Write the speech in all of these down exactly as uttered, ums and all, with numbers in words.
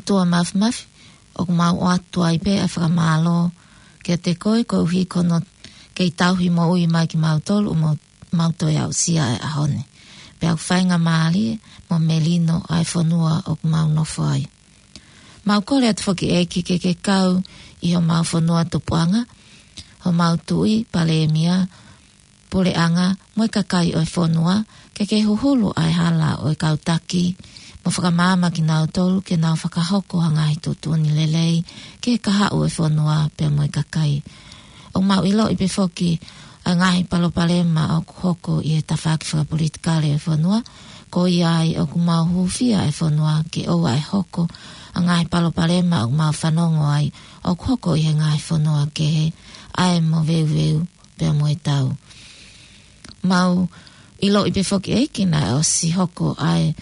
ʻOtua Māfimafi, ʻoku mau ʻoatu ai pē ʻa e fakamālō kiate koe koeʻuhi ko hono kei tauhi moʻui mai kimautolu ʻo mau, mau toe aʻusia ʻa e ʻaho ni. Pea ʻoku faingamālie mo melino ʻa e fonua ʻoku mau nofo ai. Mau kole atu foki ʻEiki ke ke kau ʻi homau fonua tupuʻanga, homau tuʻi, palēmia, puleʻanga, mo e kakai ʻo e fonua, ke ke huhulu ʻa e hala ʻo e kau taki, mo fakamaama kinautolu ke nau fakahoko ha ngaahi tuʻutuʻuni lelei ki he kahaʻu ʻo e fonua pea mo e kakai. ʻOku mau ʻiloʻi pē foki ʻa e ngaahi palopalema ʻoku hoko ʻi he tafaʻaki fakapolitikale ʻo e fonua, ko ia ai ʻoku mau hūfia ʻa e fonua ke ʻoua ʻe hoko ʻa e ngaahi palopalema ʻoku mau fanongo ai ʻoku hoko ʻi he ngaahi fonua kehe, ʻa e moveuveu pea mo e tau. Mau ʻiloʻi pē foki ʻEiki naʻe ʻosi hoko ʻa e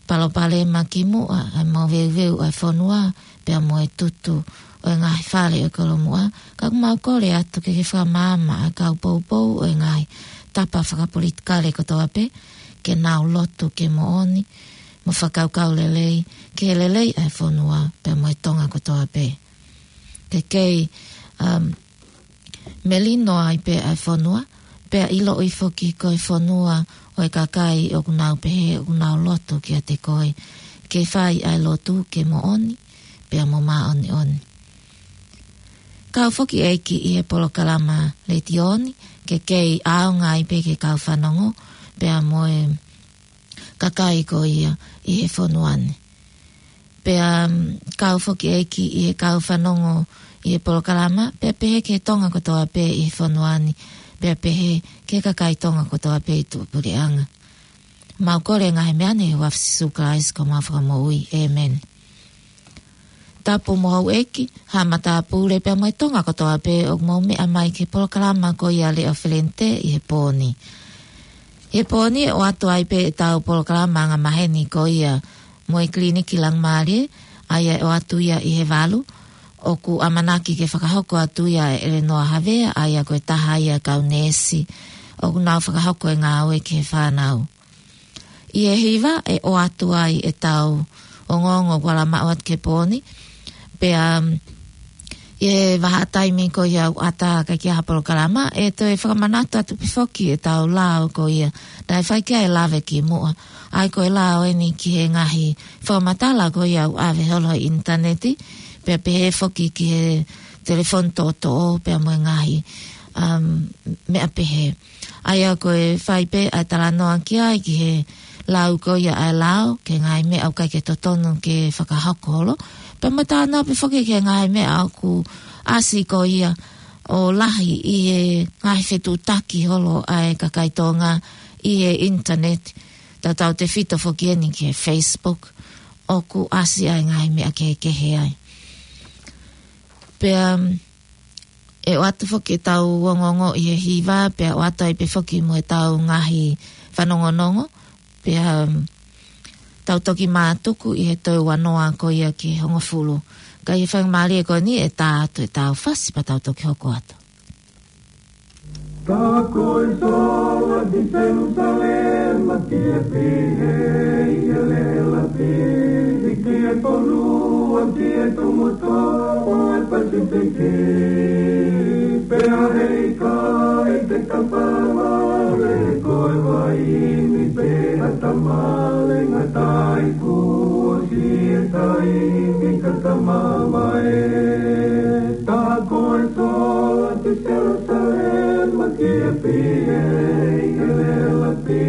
palopalema kimuʻa, ʻa e moveuveu ʻa e fonua pea mo e tutu ʻo e ngaahi fale ʻo e kolomuʻa, ka ʻoku mau kole atu ke ke fakamaama ʻa e kau poupou ʻo e ngaahi tapa fakapolitikale kotoa pē, ke nau lotu ke moʻoni, mo fakakaukau lelei ki he lelei ʻa e fonua pea mo e Tonga kotoa pē. Ke kei, um, melino ai pē ʻa e fonua, pea ʻiloʻi foki ko e fonua ʻo e kakai ʻoku nau pehē ʻoku nau lotu kiate koe, ke fai ʻa e lotu ke moʻoni pea mo māʻoniʻoni. Kau foki ʻEiki ʻi he polokalama letiō ni, ke kei ʻaonga ai pē ki he kau fanongo pea mo e kakai ko ia ʻi he fonua ni. Pea, um, kau foki ʻEiki ʻi he kau fanongo ʻi he polokalama, pea pehē ki he Tonga kotoa pē ʻi he fonua ni, pea pehē ki he kakai Tonga kotoa pē ʻi tuʻapuleʻanga. Mau kole ngaahi meʻa ni ʻi he huafa ʻo Sīsū Kalaisi ko homau Fakamoʻui. ʻĒmeni. Tapu mo houʻeiki, haʻa matāpule pea mo e Tonga kotoa pē ʻoku mou meʻa mai ki he polokalama ko ia Leʻo Felente ʻi he pō ni. ʻI he pō ni ʻe ʻoatu ai pē ʻetau polokalama angamaheni ko ia mo e Kiliniki Langimālie, ʻa ia ʻe ʻoatu ia ʻi he valu, ʻoku ʻamanaki ke fakahoko atu ia ʻe ʻElenoa Havea, ʻa ia ko e taha ia kau neesi ʻoku nau fakahoko e ngāue ki he fānau. ʻI he hiva ʻe ʻoatu ai ʻetau ongoongo kuo lava maʻu atu ki he pō ni. Pea, um, ʻi he vahaʻa taimi ko ia ʻoku ʻatā ʻikai ke ʻi ai ha polokalama, ʻe toe fakamanatu atu pē foki ʻetau lao ko ia naʻe fai ki ai e lave kimuʻa. ʻA ia ko e lao eni ki he ngaahi fakamatala ko ia ʻoku ʻave holo he ʻinitaneti, pea pehē foki ki he telefoni toʻotoʻo, pea mo e ngaahi, um, meʻa pehē. ʻA ia ko e fai pē ʻa e talanoa ki ai ki he lau ko ia ʻa e lao, ki he ngaahi meʻa ʻoku ʻikai ke totonu ke fakahoko holo. Pea mo e talanoa pē foki ki he ngaahi meʻa ʻoku ʻasi ko ia ʻo lahi ʻi he ngaahi fetuʻutaki holo ʻa e kakai Tonga ʻi he ʻinitaneti, tautautefito foki eni ki he Facebook, ʻoku ʻasi ai ngaahi meʻa kehekehe ai. Pea, um, ʻe ʻoatu foki ʻetau ongoongo ʻi he hiva, pea ʻoatu ai pē foki mo ʻetau ngaahi fanongonongo, pea, um, tau toki mātuku ʻi he toe ua noa ko ia ki he hongofulu. Ka ʻi he faingamālie ko eni ʻe tā atu ʻetau fasi pea tau toki hoko atu. Tā ko e sola ki Selusalema ki he pihia ʻi he lelapi, ki he fonua ki he tumu tō ʻo e Pasifiki. Pea heʻikai te ta fāvale ko e vaini pe ha tamale ngata i kuo ʻosi e taimi ka ta mamae. Tā ko e sola ki Selusalema ki he pihia ʻi he lelapi,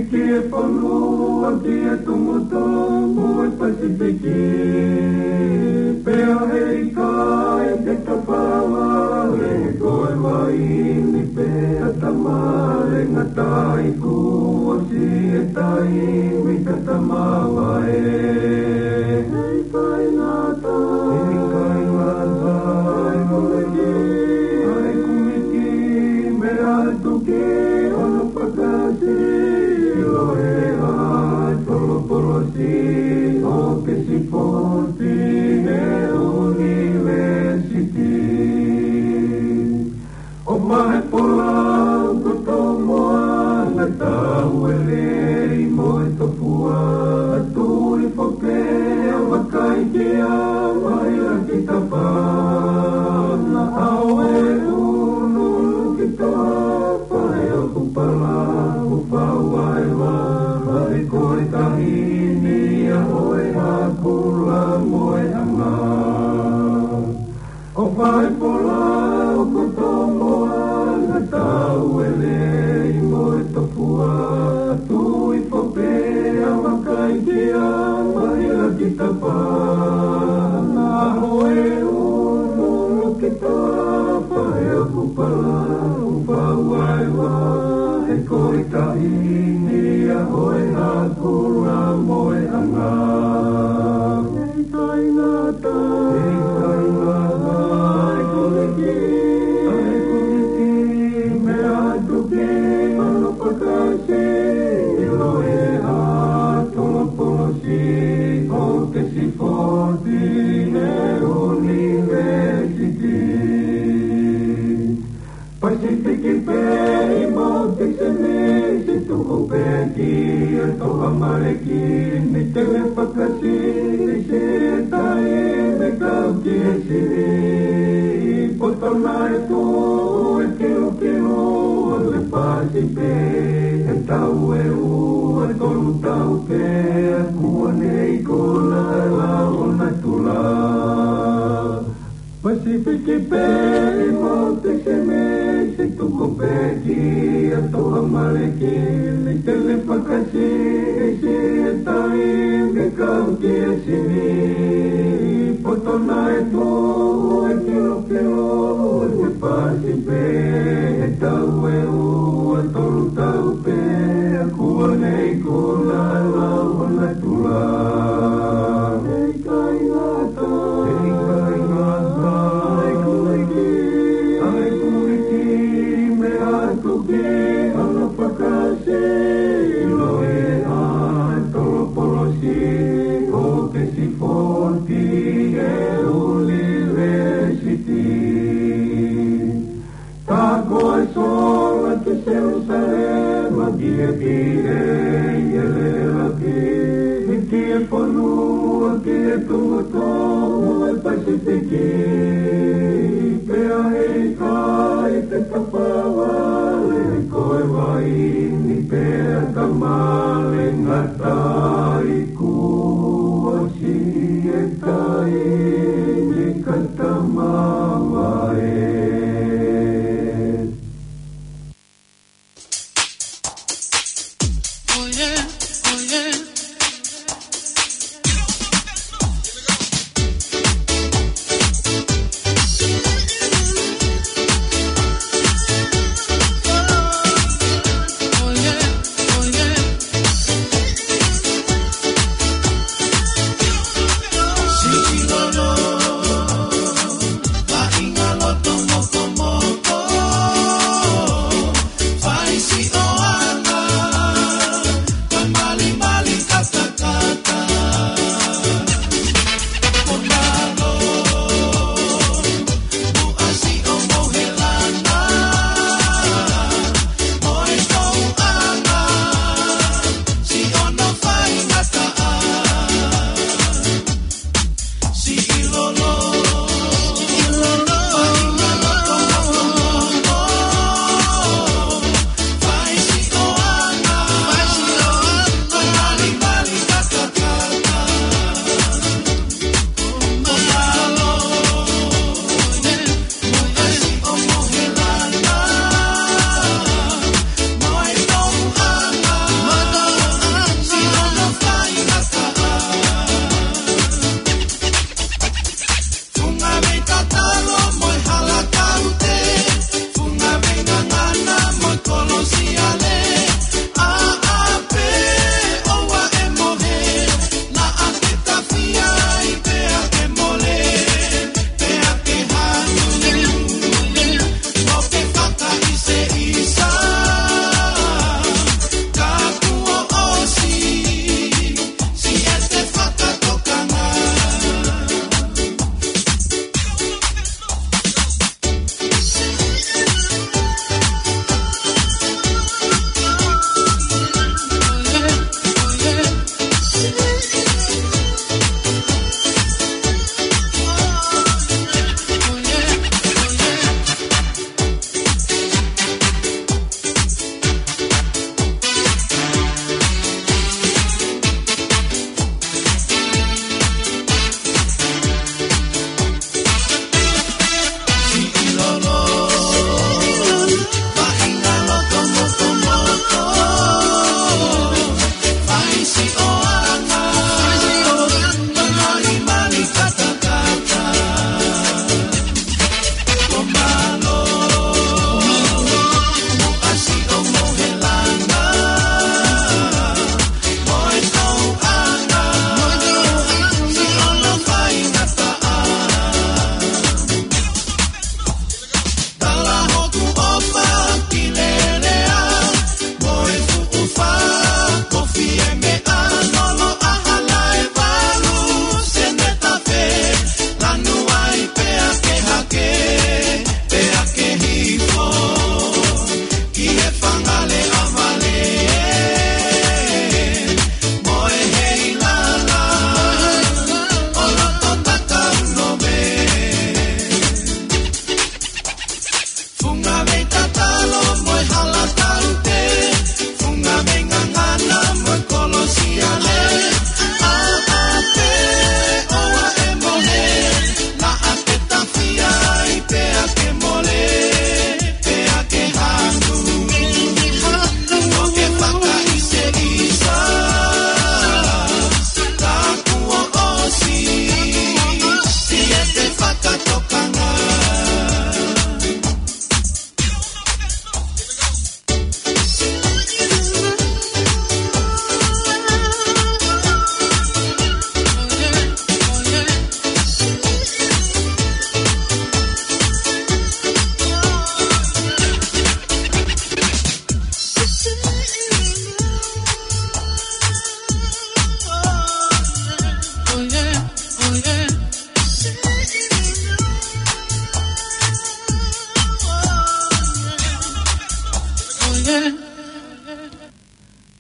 ki he fonua ki he tumu tō ʻo e Pasifiki. Pea heʻikai te ta fāvale ko e vaini pe ha tamale ngata i kuo ʻosi e taimi ka ta mamae. Heʻikai ngata, heʻikai ngata ʻa e kumiti, ʻa e kumiti, meʻa atu ki hono fakaʻilo ʻe he ʻAtolopolosi ʻo Oxford ʻi he ʻunivēsiti. ʻO mahe pola ko to moa na tau e lei mo e tofua, tui foke ʻo vakai ki Fua tui fope a makai kia maila ki tapa. Na hoe unu ki toa fahe o kupala u fau ai wa he koi taini a hoe a kula moe anga. Hei kai ngata, hei kai ngata, ai kuniki, ai kuniki, mea tuki, ano pakasi, ilo e a tolo polosi, o te sifoti, ne university. Pasifiki pē ʻi Mōtisi Misi tuku pē ki a toa maleki ni tele fakasi ni se tai me kau ki e sini. Poto nai tu e kilu kilu le pasi pē e tau e ua tolu tau pē a kua nei ko la la o natula. Pasifiki pē ʻi Mōtisi Misi tuku pē ki a toa maleki ni tele fakasi ni se tai me kau ki e sini. Poto nai tu e kilu kilu e pasi pē e tau e ua tolu tau pē a kua nei ko la la o natula. Hei kai ngata, hei kai ngata, ai kuiki, ai kuiki, mea tuki, ano pakasi, ilo e a tolo polosi, o te sifoti e university. Tako e sola ki Selusalema ki e pile i e lelapi. Ki e fonua ki e tumotomo e Pasifiki. Pea hei kai te tapavale ko e vaini pea tamale ngata i kuo si e taimi ka tamava e.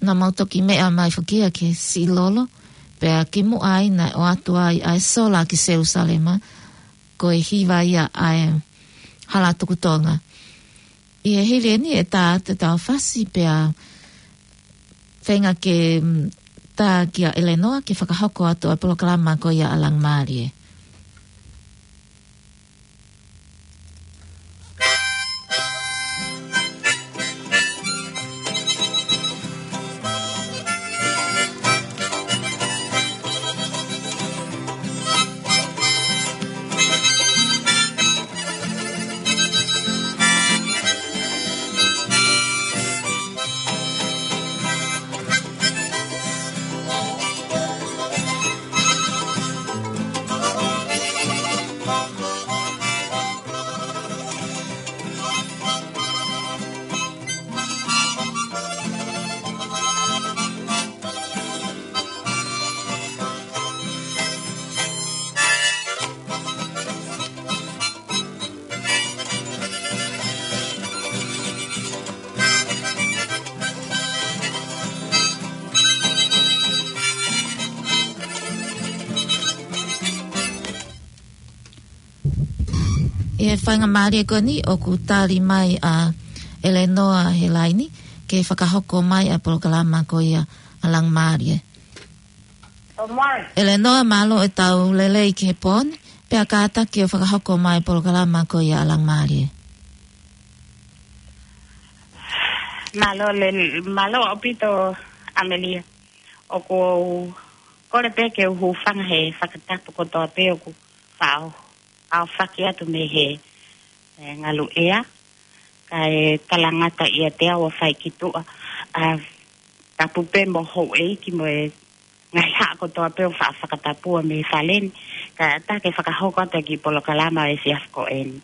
naʻa mau toki meʻa mai foki ia ki he siʻi lolo, pea kimuʻa ai naʻe ʻoatu ai ʻa e sola ki Selusalema, ko e hiva ia ʻa e Hala Tuku Tonga. ʻI he hili eni ʻe tā atu ʻetau fasi pea feinga ke, mm, tā kia ʻElenoa ke fakahoko atu ʻa e polokalama ko ia ʻa Langimālie. ʻI he faingamālie ko eni ʻoku tali mai ʻa ʻElenoa he laini ke fakahoko mai ʻa e polokalama ko ia ʻa Langimālie. ʻElenoa, mālō e tau lelei ki he pō ni, pea kātaki ʻo fakahoko mai e polokalama ko ia ʻa Langimālie. Mālō le-, mālō ʻaupito ʻAmelia. ʻOku ou kole pē ke u hūfanga he fakatapu kotoa pē ʻoku faʻo aofaki atu mei he, e, ngalu ʻea, kae talangata ʻiate au ʻo fai ki tuʻa, ʻa, tapu pē mo houʻeiki mo e ngaahi haʻa kotoa pē ʻoku faʻa fakatapua mei he fale ni, kae ʻatā ke fakahoko atu e kiʻi polokalama ʻo e efiafi ko eni.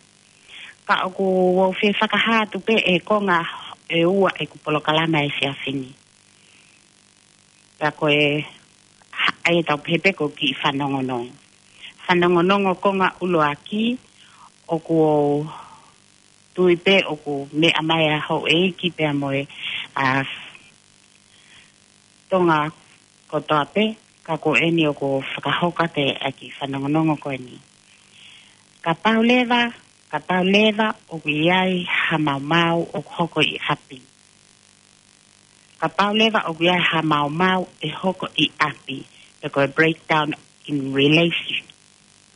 Ka ʻoku ou fie fakahā atu pē e konga ʻe ua ʻeku polokalama ʻo e efiafi ni. Pea ko e, ha-, ʻai ʻetau pehē pē ko e kiʻi fanongonongo. Fanongonongo konga ʻuluaki, ʻoku ou tui pē ʻoku meʻa mai ʻa houʻeiki pea mo e, ʻa, Tonga kotoa pē, ka ko eni ʻoku ou fakahoko atu e kiʻi fanongonongo ko eni. Kapau leva, kapau leva ʻoku ʻi ai ha maumau ʻoku hoko ʻi ʻapi. Kapau leva ʻoku ʻi ai ha maumau ʻe hoko ʻi ʻapi, pe ko e breakdown in relation-,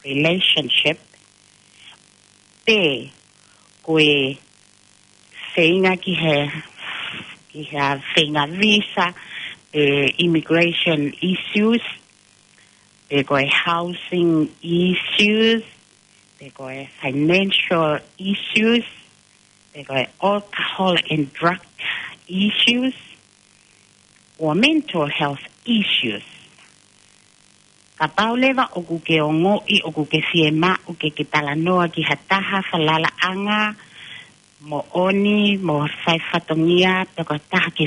relationship, pe ko e feinga ki he, ki he feinga visa, pe immigration issues, pe ko e housing issues, pe ko e financial issues, pe ko e alcohol and drug issues, or mental health issues. Kapau leva ʻoku ke ongoʻi, ʻoku ke fiemaʻu ke ke talanoa ki ha taha falalaʻanga, moʻoni, mo fai fatongia, pe ko ha taha ke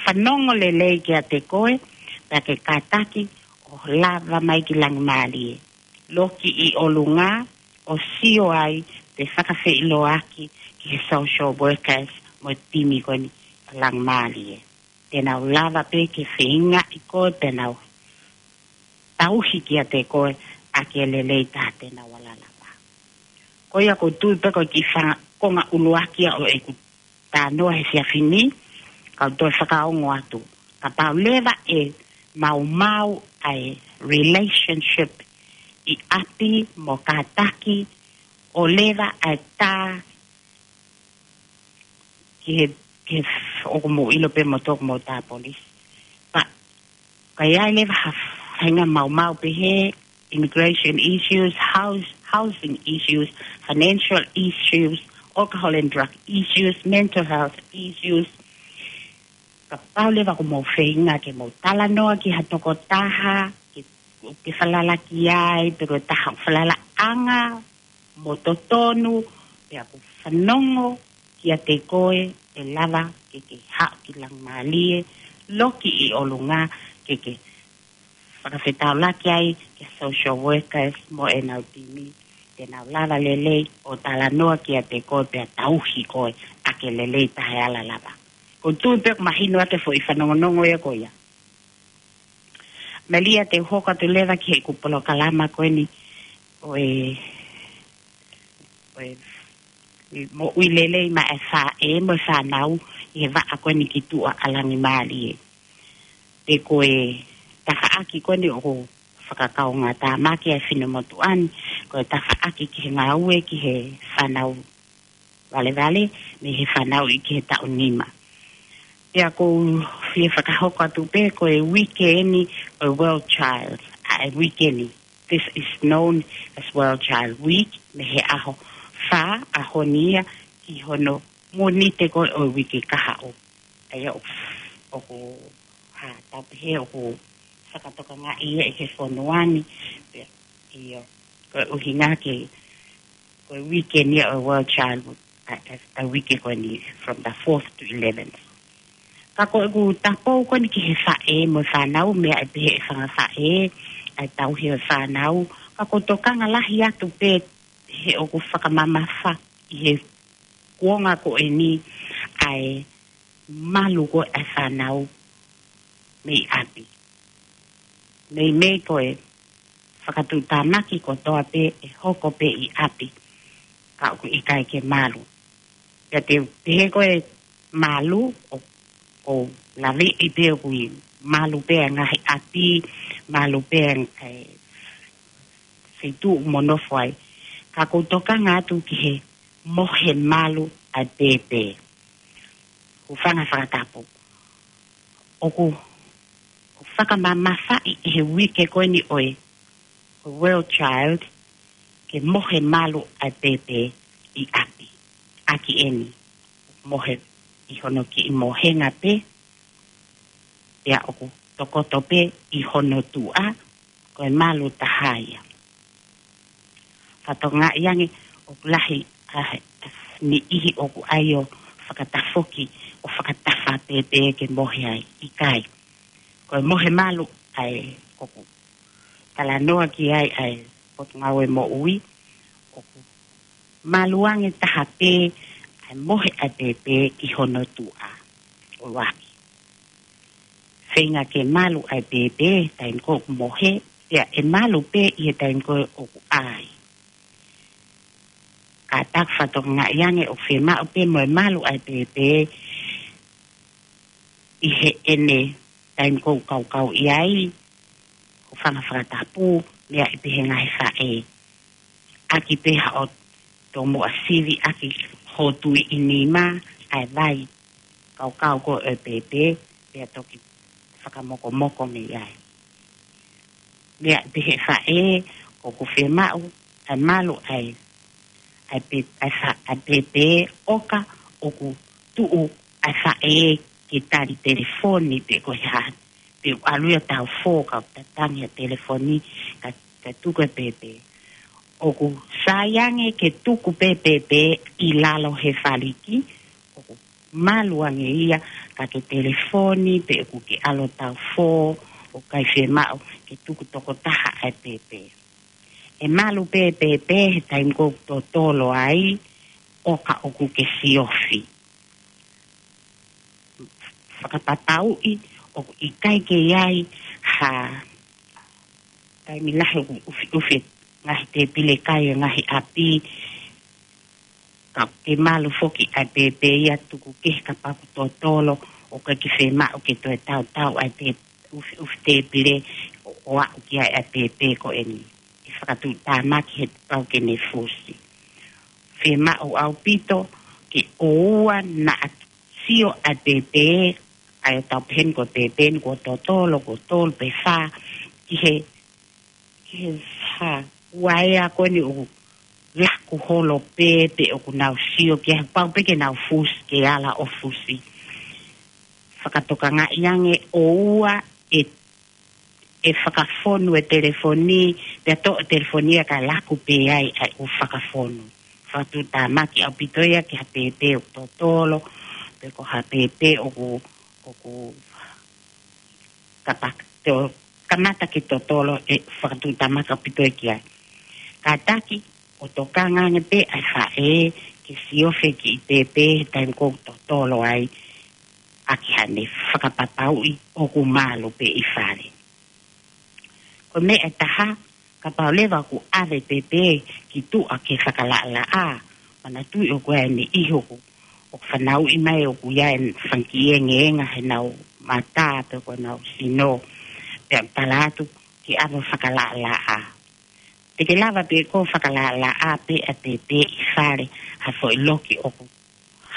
fanongo lelei kiate koe, pea ke kātaki ʻo lava mai ki Langimālie. Loki ʻi ʻolunga, ʻo sio ai, pe fakafeʻiloaki ki he social workers mo e timi ko eni ʻa Langimālie. Te nau lava pē ke feingaʻi koe, te nau tauhi kiate koe ʻaki e lelei taha te nau ala lava. Ko ia ʻoku ou tui pē ko e kiʻi fanga-, konga ʻuluaki ia ʻo ʻeku talanoa he efiafi ni, kau toe fakaongo atu. Kapau leva ʻe maumau ʻa e relationship ʻi ʻapi mo kātaki, ʻo leva ʻa e tā ki he, ki he f-, ʻoku mou ʻilo pē moutolu ʻoku mou tā polisi. Pea ka ʻi ai leva ha faʻahinga maumau pehē, immigration issues, house-, housing issues, financial issues, alcohol and drug issues, mental health issues. Kapau leva ʻoku mou feinga ke mou talanoa ki ha tokotaha, ke, ke falala ki ai, pe ko e taha falalaʻanga mo totonu, pea ʻoku fanongo kiate koe, ʻe lava ke ke haʻu ki Langimālie, loki ʻi ʻolunga ke ke fakafetaulaki ai ki he social workers mo ʻenau timi, te nau lava lelei ʻo talanoa kiate koe pea tauhi koe ʻaki e lelei taha e ala lava. Ko e tuʻu pē ʻoku mahino atu e foʻi fanongonongo ia ko ia. Melia, te u hoko atu leva ki heʻeku polokalama ko eni ʻo e, ʻo e moʻui lelei maʻa e faʻē mo e fānau ʻi he vaʻa ko eni ki tuʻa ʻa Langimālie. Pea ko e tafaʻaki ko eni ʻoku fakakaungātāmaki ai e finemotuʻa ni, ko e tafaʻaki ki he ngāue ki he fānau valevale, mei he fānau ʻi he taʻu nima. Pea ʻoku ou fie fakahoko atu pē ko e uike eni ʻo e World Child, ʻa e uike ni. This is known as World Child Week, mei he ʻaho fā, ʻaho ni ia, ki hono Mōnite ko ē ʻo e uike kahaʻu. ʻA ia ʻoku, ʻoku, ha, tau pehē ʻoku fakatokangaʻi ia ʻi he fonua ni, pea, ʻio, ko e ʻuhinga ke, ko e uike ni ia ʻo e World Child, ʻa, ʻa, ʻa e uike ko eni, from the fourth to eleventh. Ka ko ʻeku tapou ko eni ki he faʻē mo e fānau, meʻa ʻe pehē ʻe he fanga faʻē, ʻa e tauhi ʻo e fānau, ka ʻoku ou tokanga lahi atu pē he ʻoku fakamamafa ʻi he kuonga ko eni ʻa e malu ko ē ʻa e fānau mei ʻapi. Meimei ko e fakatuʻutāmaki kotoa pē ʻe hoko pē ʻi ʻapi, ka ʻoku ʻikai ke malu. Pea te u pehē ko e malu, ʻo, ʻo laveʻi pē ʻoku ʻi malu pē ʻa e ngaahi ʻapi, malu pē ʻa e feituʻu ʻoku mo nofo ai. Ka ʻoku ou tokanga atu ki he mohe malu ʻa e pēpē. Hūfanga he fakatapu. ʻOku, ʻoku fakamamafaʻi ʻe he uike ko eni ʻo e, ʻo e World Child, ke mohe malu ʻa e pēpē ʻi ʻapi. ʻAki eni, mohe ʻi hono kiʻi mohenga pē, pea ʻoku tokoto pē ʻi hono tuʻa, ko e malu taha ia. Fakatokangaʻi ange ʻoku lahi ʻa e, ʻa e niʻihi ʻoku ʻai ʻo fakatafoki, ʻo fakatafa pēpē ke mohe ai, ʻikai. Ko e mohe malu ʻa e ʻoku talanoa ki ai ʻa e Potungāue Moʻui, ʻoku malu ange taha pē ʻa e mohe ʻa e pēpē ʻi hono tuʻa, ʻuluaki. Feinga ke malu ʻa e pēpē he taimi ko ē ʻoku mohe, pea ʻe malu pē ʻi he taimi ko ē ʻoku ʻai. Ka tau fakatokangaʻi ange ʻoku fiemaʻu pē mo e malu ʻa e pēpē ʻi heʻene taimi ko ē ʻoku kaukau ʻi ai, hūfanga he fakatapu, meʻa ʻe pehē ʻe he ngaahi faʻē. ʻAki pē haʻo tomuʻa sivi ʻaki ho tui ʻi nima ʻa e vai kaukau ko ē ʻo e pēpē, pea toki fakamokomoko mei ai. Meʻa ʻe pehē ʻe he faʻē, ʻoku fiemaʻu ʻa e malu ʻa e, ʻa e pē-, ʻa e fa-, ʻa e pēpē ʻoka ʻoku tuʻu ʻa e faʻē ke tali telefoni pe ko e hā, pe ʻoku ʻalu ia ʻo taufō ka ʻoku tatangi ʻa e telefoni ka, ka tuku e pēpē. ʻOku sai ange ke tuku pē pēpē ʻi lalo he faliki, ʻoku malu ange ia ka ke telefoni pe ʻoku ke ʻalu ʻo taufō, ʻoku ʻikai fiemaʻu ke tuku tokotaha ʻa e pēpē. ʻE malu pē pēpē he taimi ko ē ʻoku totolo ai, ʻoka ʻoku ke siofi. Fakapapauʻi ʻoku ʻikai ke ʻi ai ha taimi lahi ʻoku ʻufiʻufi e ngaahi tēpile kai ʻo e ngaahi ʻapi, ka ke malu foki ʻa e pēpē ia tuku kehe kapau ʻoku totolo, ʻoku ʻikai ke fiemaʻu ke toe tautau ʻa e tē-, ʻufiʻufi tēpile ʻo, ʻo aʻu ki ai ʻa e pēpē ko eni. ʻE fakatuʻutāmaki he pau ke ne fusi. Fiemaʻu ʻaupito ke ʻoua naʻa sio ʻa e pēpē, ʻa ia ʻoku tau pehē ni ko e pēpē ni kuo totolo, kuo tolu pe fā, ki he, ki he fā, ua ea ko eni ʻoku laku holo pē, pe ʻoku nau sio ki ai, pau pē ke nau fusi, ke ala ʻo fusi. Fakatokangaʻi ange ʻoua ʻe ʻe fakafonu e telefoni, pea toʻo e telefoni ia kae laku pē ai ʻa e ʻū fakafonu. Fakatuʻutāmaki ʻaupito ia ki ha pēpē ʻoku totolo, pe ko ha pēpē ʻoku, ʻoku kapa-, to-, kamata ke totolo, ʻe fakatuʻutāmaki ʻaupito ia ki ai. Kātaki, ʻo tokanga ange pē ʻa e faʻē ke siofi e kiʻi pēpē he taimi ko ē ʻoku totolo ai. ʻaki haʻane fakapapauʻi ʻoku malu pē ʻi fale. Ko e meʻa ʻe taha, kapau leva ʻoku ʻave pēpē ki tuʻa ke fakalaʻalaʻā, manatuʻi ʻoku ʻi ai e niʻihi ʻoku, ʻoku fanauʻi mai ʻoku ʻi ai e fanga kiʻi engeenga heʻenau mata pe ko ʻenau sino, pea tala atu ke ʻave fakalaʻalaʻā. Te ke lava pē ʻo fakalaʻalaʻā pē ʻa pēpē ʻi fale ha foʻi loki ʻoku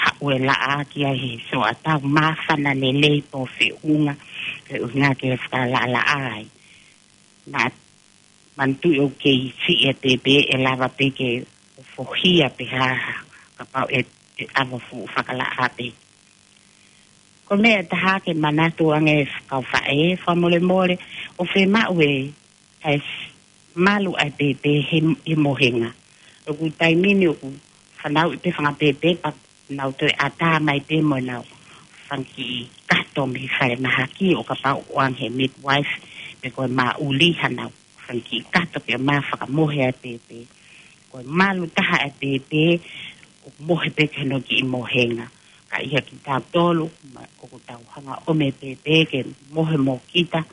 haʻu e laʻā ki ai he soa tau māfana lelei pe feʻunga, ke ʻuhinga ke fakalaʻalaʻā ai. Naʻa manatuʻi ʻoku kei siʻi ʻa pēpē ʻe lava pē ke fohia pe hā, kapau ʻe, ʻe ʻave fuʻu fakalaʻā pē. Ko e meʻa ʻe taha ke manatu ange kau faʻē, fakamolemole, ʻoku fiemaʻu ʻe, ʻe malu ʻa pēpē he, he mohenga. ʻOku taimi ni ʻoku fanauʻi pē fanga pēpē pea nau toe ʻatā mai pē mo ʻenau fanga kiʻi kato mei falemahaki ʻo kapau ʻoku ʻoange he midwife pe ko e māʻuli hanau fanga kiʻi kato ke mā fakamohe ʻa pēpē. Ko e malu taha ʻa pēpē ʻoku mohe pē ki hono kiʻi mohenga. Ka ʻi he kitautolu, ma, ʻoku tau hanga ʻo ʻomi pēpē ke mohe mo kita,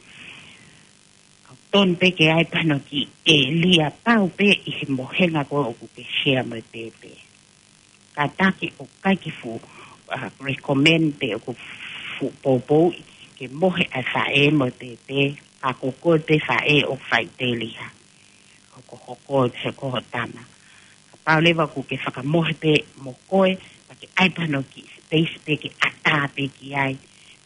ka tonu pē ke ʻai pē hano kiʻi ʻēlia pau pē ʻi he mohenga ko ē ʻoku ke share mo e pēpē. Kātaki ʻoku ʻikai ke fuʻu, uh, recommend pe ʻoku fuʻu poupouʻi ke mohe ʻa e faʻē mo e pēpē, ka ko koe pē faʻē ʻoku faʻiteliha. Hokohoko he ko ho tama. Kapau leva ʻoku ke fakamohe pē mo koe, pea ke ʻai pē hano kiʻi space pē ke ʻatā pē ki ai,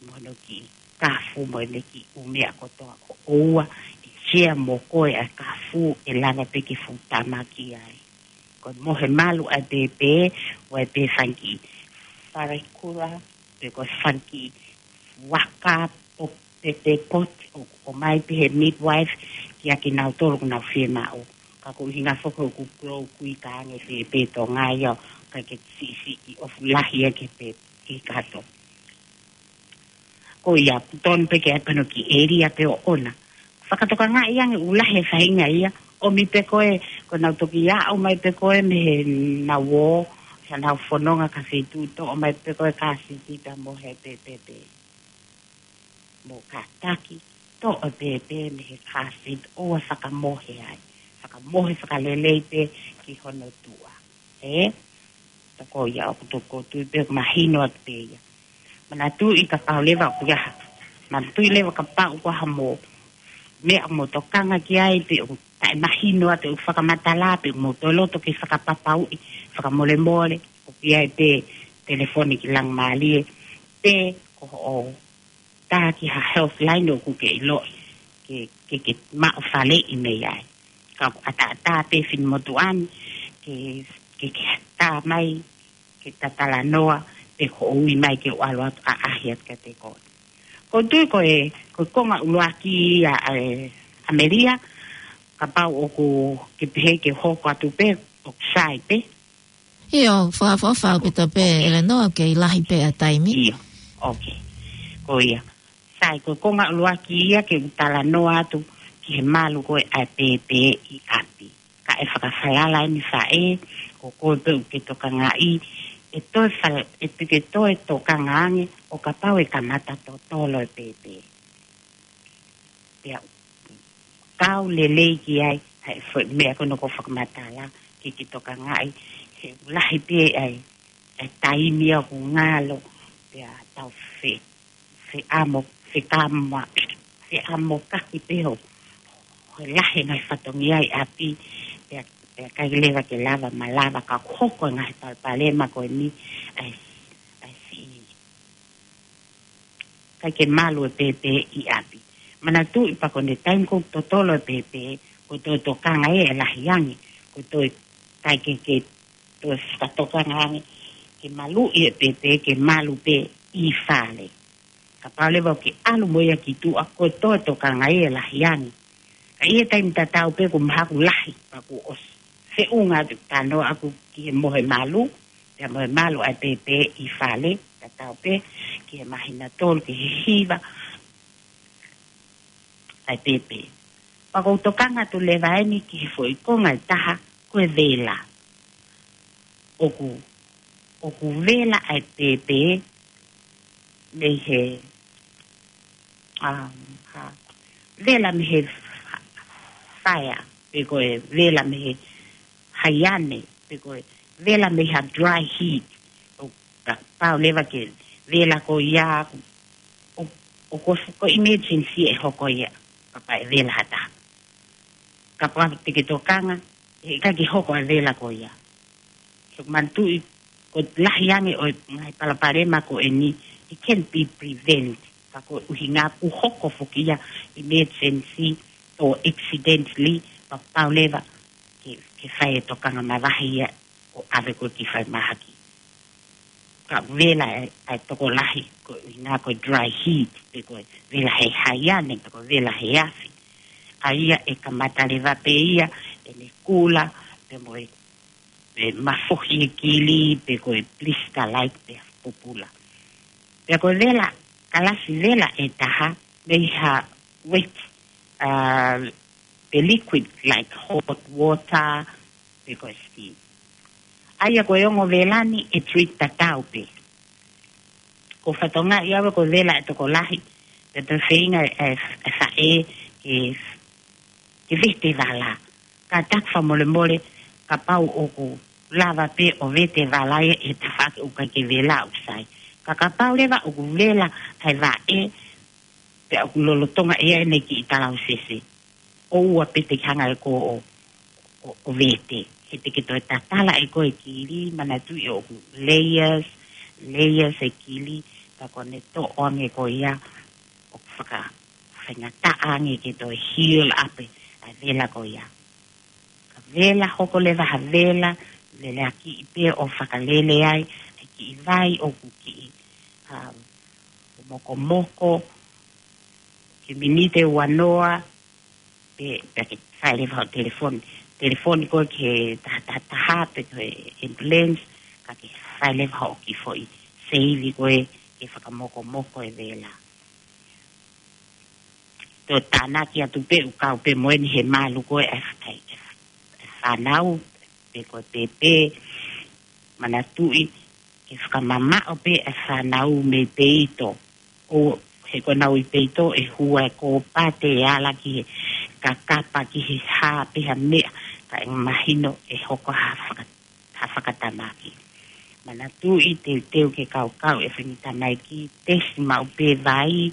mo hono kiʻi kafu mo ʻene kiʻi ʻū meʻa kotoa ʻoʻoua, ʻe share mo koe ʻa e kafu ʻe lava pē ke fuʻu tama ki ai. Ko e mohe malu ʻa pēpē, ʻoku ʻi ai pē fanga kiʻi fale kula, pe ko e fanga kiʻi waka ʻo pēpē poti ʻoku ʻomai pē he midwife kiate kinautolu ʻoku nau fiemaʻu. Ka ko e ʻuhinga foki ʻoku grow quick ange pēpē Tonga ia ʻoku ʻikai ke siʻisiʻi ʻoku fuʻu lahi ia ki he pēpē kato. Ko ia, ʻoku tonu pē ke ʻai pē hano kiʻi ʻēlia pē ʻoʻona. Fakatokangaʻi ange ʻoku lahi e faʻahinga ia, ʻomi pē ko ē, ko ʻenau toki aʻu mai pē ko ē mei heʻenau ō, heʻenau fononga ki ha feituʻu, toʻo mai pē ko ē kāsiti pea mohe pē pēpē. Mo kātaki, toʻo pēpē mei he kāsiti ʻoua fakamohe ai. Fakamohe fakalelei pē ki hono tuʻa. Ē? Toko ia ʻoku toko tui pē mahino atu pē ia. Manatuʻi kapau leva ʻoku ʻi ai ha. Manatuʻi leva kapau ʻoku ʻi ai ha mo. Meʻa mo tokanga ki ai pe ʻoku taʻemahino atu ʻeku fakamatala pe mo toe loto ke fakapapauʻi fakamolemole. ʻOku ʻi ai pē telefoni ki Laumālie. Pe ko hoʻo tā ki ha health line ʻoku ke ʻiloʻi. Ke, ke, ke maʻu faleʻi mei ai. Ka ʻoku ʻataʻatā pē finemotuʻa ni, ke, ke, ke tā mai, ke ta talanoa, pe ko ʻoku ui mai ke u ʻalu atu ʻaʻahi atu kiate koe. Ko e tui ko e, ko e konga ʻuluaki ia ʻa e ʻAmelika, kapau ʻoku ke pehē ke hoko atu pē, ʻoku sai pē. ʻIo, fakaʻofoʻofa ʻaupito pē, ʻElenoa, ʻoku kei lahi pē ʻa e taimi. ʻIo, okay. Ko ia. Sai, ko e konga ʻuluaki ia ke u talanoa atu ki he malu ko ē ʻa e pēpē ʻi ʻapi. Ka ʻe fakafalala eni faʻē, ko koe pē ʻoku ke tokangaʻi, ʻe toe fal-, ʻe te ke toe tokanga ange, ʻo kapau ʻe kamata totolo e pēpē. Pea kau lelei ki ai, ʻa e foʻi meʻa ko ē naʻa ku fakamatala, ke ke tokangaʻi, he ʻoku lahi pē ʻa e, ʻa e taimi ia ʻoku ngalo, pea tau fe, feʻamo, fekama, feʻamokaki pē ho, ho lahi ngaahi fatongia ʻi ʻapi, pea, pea ʻikai leva ke lava, malava ka hoko e ngaahi palopalema ko eni, ʻa e, ʻa e siʻi ʻikai ke malu e pēpē ʻi ʻapi. Manatuʻi pea ko ʻene taimi ko ē ʻoku totolo e pēpē, ko e toe tokanga ē ʻe lahi ange, ko e toe ʻikai ke, ke toe fakatokanga ange, ke maluʻi e pēpē, ke malu pē ʻi fale. Kapau leva ʻoku ke ʻalu mo ia ki tuʻa, ko e toe tokanga ē ʻe lahi ange. Ka ʻi he taimi tatau pē ʻoku mahalo ʻoku lahi, pea kuo ʻosi. Feʻunga atu e talanoa ʻaku ki he mohe malu, pea mohe malu ʻa e pēpē ʻi fale, tatau pē ki he māhina tolu ki he hiva ʻa e pēpē. Pea ʻoku ou tokanga atu leva eni ki he foʻi konga ʻe taha, ko e vela. ʻOku, ʻoku vela ʻa e pēpē, mei he, um, ha, vela mei he fa-, fire, pe ko e vela mei he haiane, pe ko e vela mei ha dry heat. ʻOku pau leva ke vela ko ia, ʻo, ʻo ko, ko emergency ʻe hoko ia, kapau ʻe vela ha taha. Kapau te ke tokanga, ʻe ʻikai ke hoko ʻa e vela ko ia. So manatuʻi, ko e lahi ange ʻo e ngaahi palopalema ko eni, it can be prevent. Ka ko e ʻuhinga ʻoku hoko foki ia emergency or accidentally, pea pau leva ke, ke fai e tokanga mavahe ia ʻo ʻave koe ki falemahaki. Ka vela ʻa e, ʻa e tokolahi, ko e ʻuhinga ko e dry heat, pe ko e vela he haiane, pe ko e vela he afi. ʻA ia ʻe kamata leva pē ia ʻene kula, pe mo e, pe mafohi e kili, pe ko e blister-like, pe pupula. Pea ko e vela, kalasi vela ʻe taha, mei ha wet, uh, pe liquid like hot water, pe ko e steam. ʻA ia ko e ongo vela ni ʻe treat tatau pē. Ko e fatongia ia ko e vela ʻa e tokolahi, pea toe feinga e, e, e faʻē ke, ke vete vala. Kātaki fakamolemole, kapau ʻoku lava pē ʻo vete vala ia he tafaʻaki ʻoku ʻikai ke vela ʻoku sai. Ka kapau leva ʻoku vela ʻa e vaʻe, pea ʻoku lolotonga ʻe ʻi ai ʻene kiʻi talausese, ʻoua pē te ke hanga ʻe koe ʻo, ʻo, ʻo vete. He te ke toe tatala ʻe koe e kili, manatuʻi ʻoku layers, layers e kili, ka ko ʻene toʻo ange ko ia, ʻoku faka, faingataʻa ange ke toe heal up ʻa e vela ko ia. Ka vela hoko leva ha vela, vela kiʻi pē ʻo fakalele ai, ʻa e kiʻi vai ʻoku kiʻi, um, mokomoko, ki he miniti ʻe uanoa, pe, pe ke fai leva ho telefoni. Telefoni koe ki he taha taha taha pe ko e ambulance, ka ke fai leva hoʻo kiʻi foʻi save koe ke fakamokomoko e vela. Toe tānaki atu pē ʻoku kau pē mo eni he malu ko e, e, e, e fānau, pe ko e pēpē, manatuʻi, ke fakamamaʻo pē e fānau mei peito. ʻO he ko ʻenau ʻi peito ʻe hua e kōpate ʻe ala ki he kakapa ki he hā pe ha meʻa, ka ʻe mahino ʻe hoko ha faka-, ha fakatamaki. Manatuʻi teuteu ke kaukau e faʻahinga tamaiki, tesi maʻu pē vai,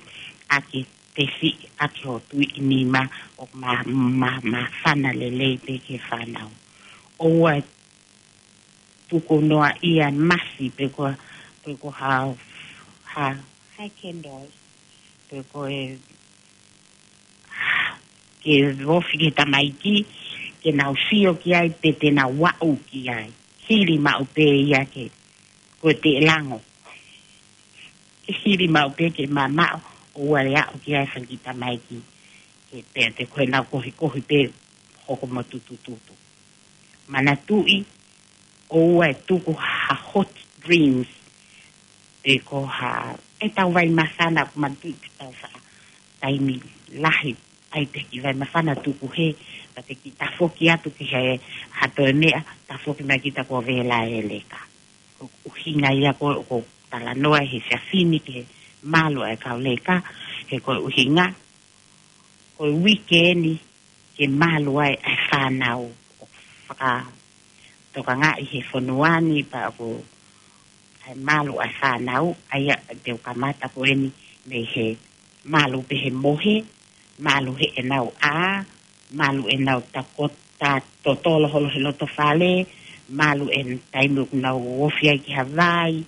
ʻaki tesi, ʻaki hoʻo tuiʻi nima, ʻo ma, ma, māfana lelei pē ki he fānau. ʻOua ʻe tuku noa ia masi pe ko, pe ko ha, ha, high candles, pe ko e, ke ofi ki he tamaiki, ke nau sio ki ai pe te nau aʻu ki ai. Hili maʻu pē ia ke, ko e te lango. Ke hili maʻu pē ke mamaʻo, ʻoua ʻe aʻu ki ai e faʻahinga tamaiki. Ke pea te ko ʻenau kohikohi pē hoko mo tutututu. Manatuʻi, ʻoua ʻe tuku ha hot drinks, pe ko ha, ʻetau vai māfana, ʻoku manatuʻi ʻetau faʻa taimi lahi, ʻai pē kiʻi vai māfana tuku hē, pea te kiʻi tafoki atu ki he, ha toe meʻa, tafoki mai kita kuo vela e leka. Ko e ʻuhinga ia ko, ko e talanoa he efiafi ni ki he malu ʻa e kau leka, he ko e ʻuhinga, ko e uike ni ke malu ai ʻa e fānau, ʻo fakatokangaʻi he fonua ni pea ko e malu ʻa e fānau, ʻa ia te u kamata ko eni mei he malu pē he mohe, malu heʻenau ʻā, malu ʻenau takota totolo holo he loto fale, malu e taimi ʻoku nau ofi ai ki ha vai.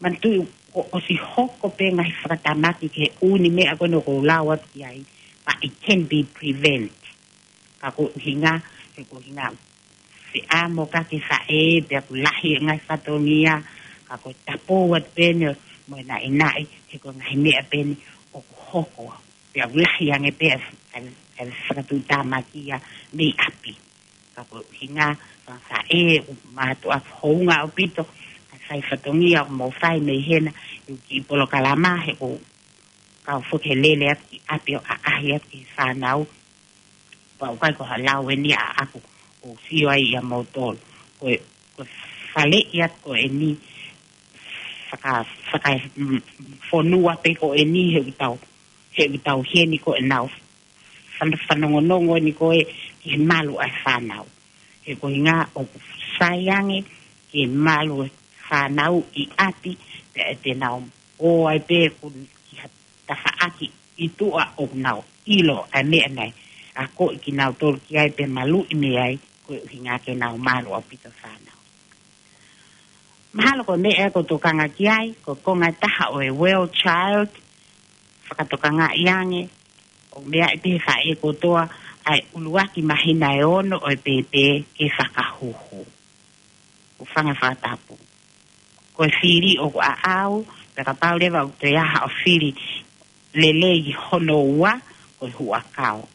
Manatuʻi kuo ʻosi hoko pē ngaahi fakatamaki ki he ʻū meʻa ko eni ʻoku ou lau atu ki ai, but it can be prevent. Ka ko e ʻuhinga, he ko e ʻuhinga, feʻamoka ke faʻē, pea ʻoku lahi e ngaahi fatongia, ka ko e tapu atu pē eni mo e naʻinaʻi, he ko e ngaahi meʻa pē eni ʻoku hoko. Pea ʻoku lahi ange pē ʻa e, ʻa e, ʻa e fakatuʻutāmaki ia mei ʻapi. Ka ko e ʻuhinga, fakafaʻē, ʻoku mātuʻaki hounga ʻaupito, ʻa e fai fatongia, ʻoku mou fai mei hena, ʻi he kiʻi polokalama, he ʻoku kau foki he lele atu ki ʻapi ʻo ʻaʻahi atu ki he fānau. Pea ʻoku ʻikai ko ha lau eni ʻaʻaku ʻoku ou sio ai ʻia moutolu. Ko e, ko e faleʻi atu ko eni, faka, faka, mm, fonua pē ko eni he ʻoku tau, he ʻoku tau heni ko ʻenau fan-, fanongonongo eni ko ē ki he malu ʻa e fānau. He ko e ʻuhinga ʻoku sai ange ke malu e fānau ʻi ʻapi, pea ʻe te nau ō ai pē ʻoku ki ha tafaʻaki ʻi tuʻa ʻoku nau ʻilo ʻa e meʻa naʻe akoʻi kinautolu ki ai pea maluʻi mei ai, ko e ʻuhinga ke nau malu ʻaupito fānau. Mahalo ko e meʻa ʻoku ou tokanga ki ai, ko e konga ʻe taha ʻo e well child, fakatokangaʻi ange, ʻoku meaʻi pē ʻe he faʻē kotoa ʻa e ʻuluaki māhina ʻe ono ʻo e pēpē ke fakahuhu. ʻOku fanga fakatapu. Ko e fili ʻoku ʻaʻau, pea kapau leva ʻoku toe ʻi ai haʻo fili lelei hono ua, ko e huʻakau.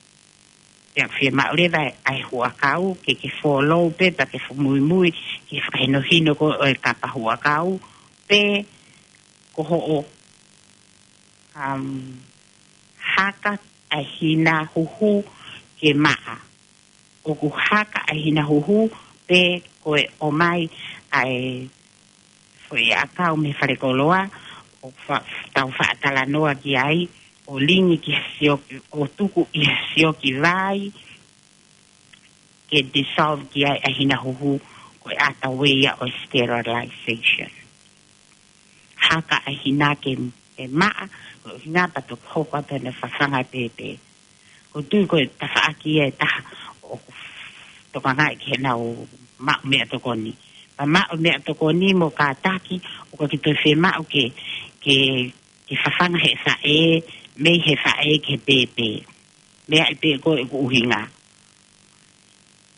Pea fiemaʻu leva ʻa e huʻakau ke ke follow pē, pea ke fakamuimui ki he fakahinohino ko ē ʻo e kapa huʻakau, pe ko hoʻo, um, haka ʻa e hina huhu ke maʻa. ʻOku haka ʻa e hina huhu pe ko e ʻomai ʻa e foʻi ʻakau mei falekoloa, ʻo fa-, tau faʻa talanoa ki ai, ʻo lingi ki he sioki, ʻo tuku ʻi he sioki vai, ke dissolve ki ai ʻa e hina huhu, ko e ʻata ueia ʻo e sterilization. Haka ʻa e hina ke, ke maʻa, ko e ʻuhinga pea toki hoko atu ʻene fafanga pēpē. ʻOku ou tui ko e tafaʻaki ia ʻe taha ʻoku tokangaʻi ke nau maʻu meʻatokoni. Pea maʻu meʻatokoni mo kātaki, ʻoku ʻikai ke toe fiemaʻu ke, ke, ke fafanga ʻe he faʻē, mei he faʻē ki he pēpē. Meaʻi pē ko e ʻuhinga.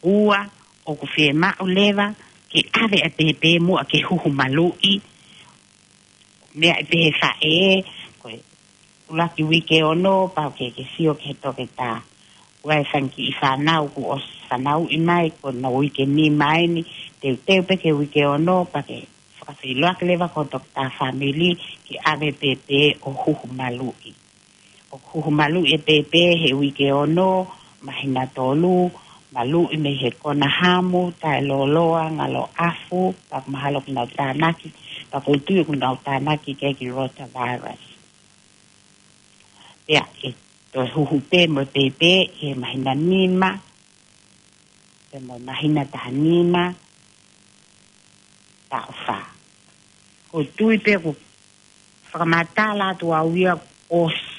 Ua, ʻoku fiemaʻu leva ke ʻave ʻa e pēpē muʻa ke huhu maluʻi. Meaʻi pē ʻe he faʻē, ko e ʻuluaki uike ono, pau ke ke sio ki he toketā. ʻOku ʻi ai e fanga kiʻi fānau kuo ʻosi fanauʻi mai, ko ʻenau uike nima eni, teuteu pē ki he uike ono, pea ke fakafeʻiloaki leva ki ho toketā fāmili, ke ʻave pēpē ʻo huhu maluʻi. ʻOku huhu maluʻi e pēpē he uike ono, māhina tolu, maluʻi mei he kona hamu, taʻelōloa, ngalo ʻafu, pea mahalo ʻoku nau tānaki, pea ʻoku ou tui ʻoku nau tānaki ki he rotavirus. Pea ʻe toe huhu pē mo e pēpē he māhina nima, pea mo e māhina taha nima, taʻu fā. ʻOku ou tui pē ʻoku fakamatala atu au ia ʻosi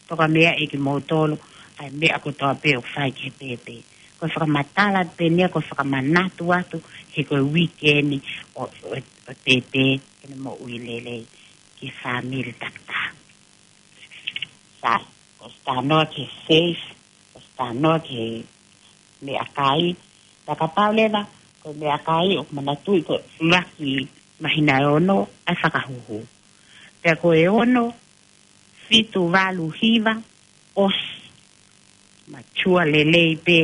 toka meaʻi kimoutolu ʻa e meʻa kotoa pē ʻoku fai ki he pēpē. Ko e fakamatala atu pē eni ia, ko e fakamanatu atu he ko e uike eni ʻo, ʻo, ʻo e pēpē ke ne moʻui lelei ki he fāmili takitaha. Sai, ʻosi talanoa ki he safe, ʻosi talanoa ki he meʻakai, pea kapau leva ko e meʻakai, ʻoku manatuʻi ko e ʻuluaki māhina ʻe ono ʻa e fakahuhu. Pea ko e ono, fitu, valu, hiva, ʻosi matua lelei pē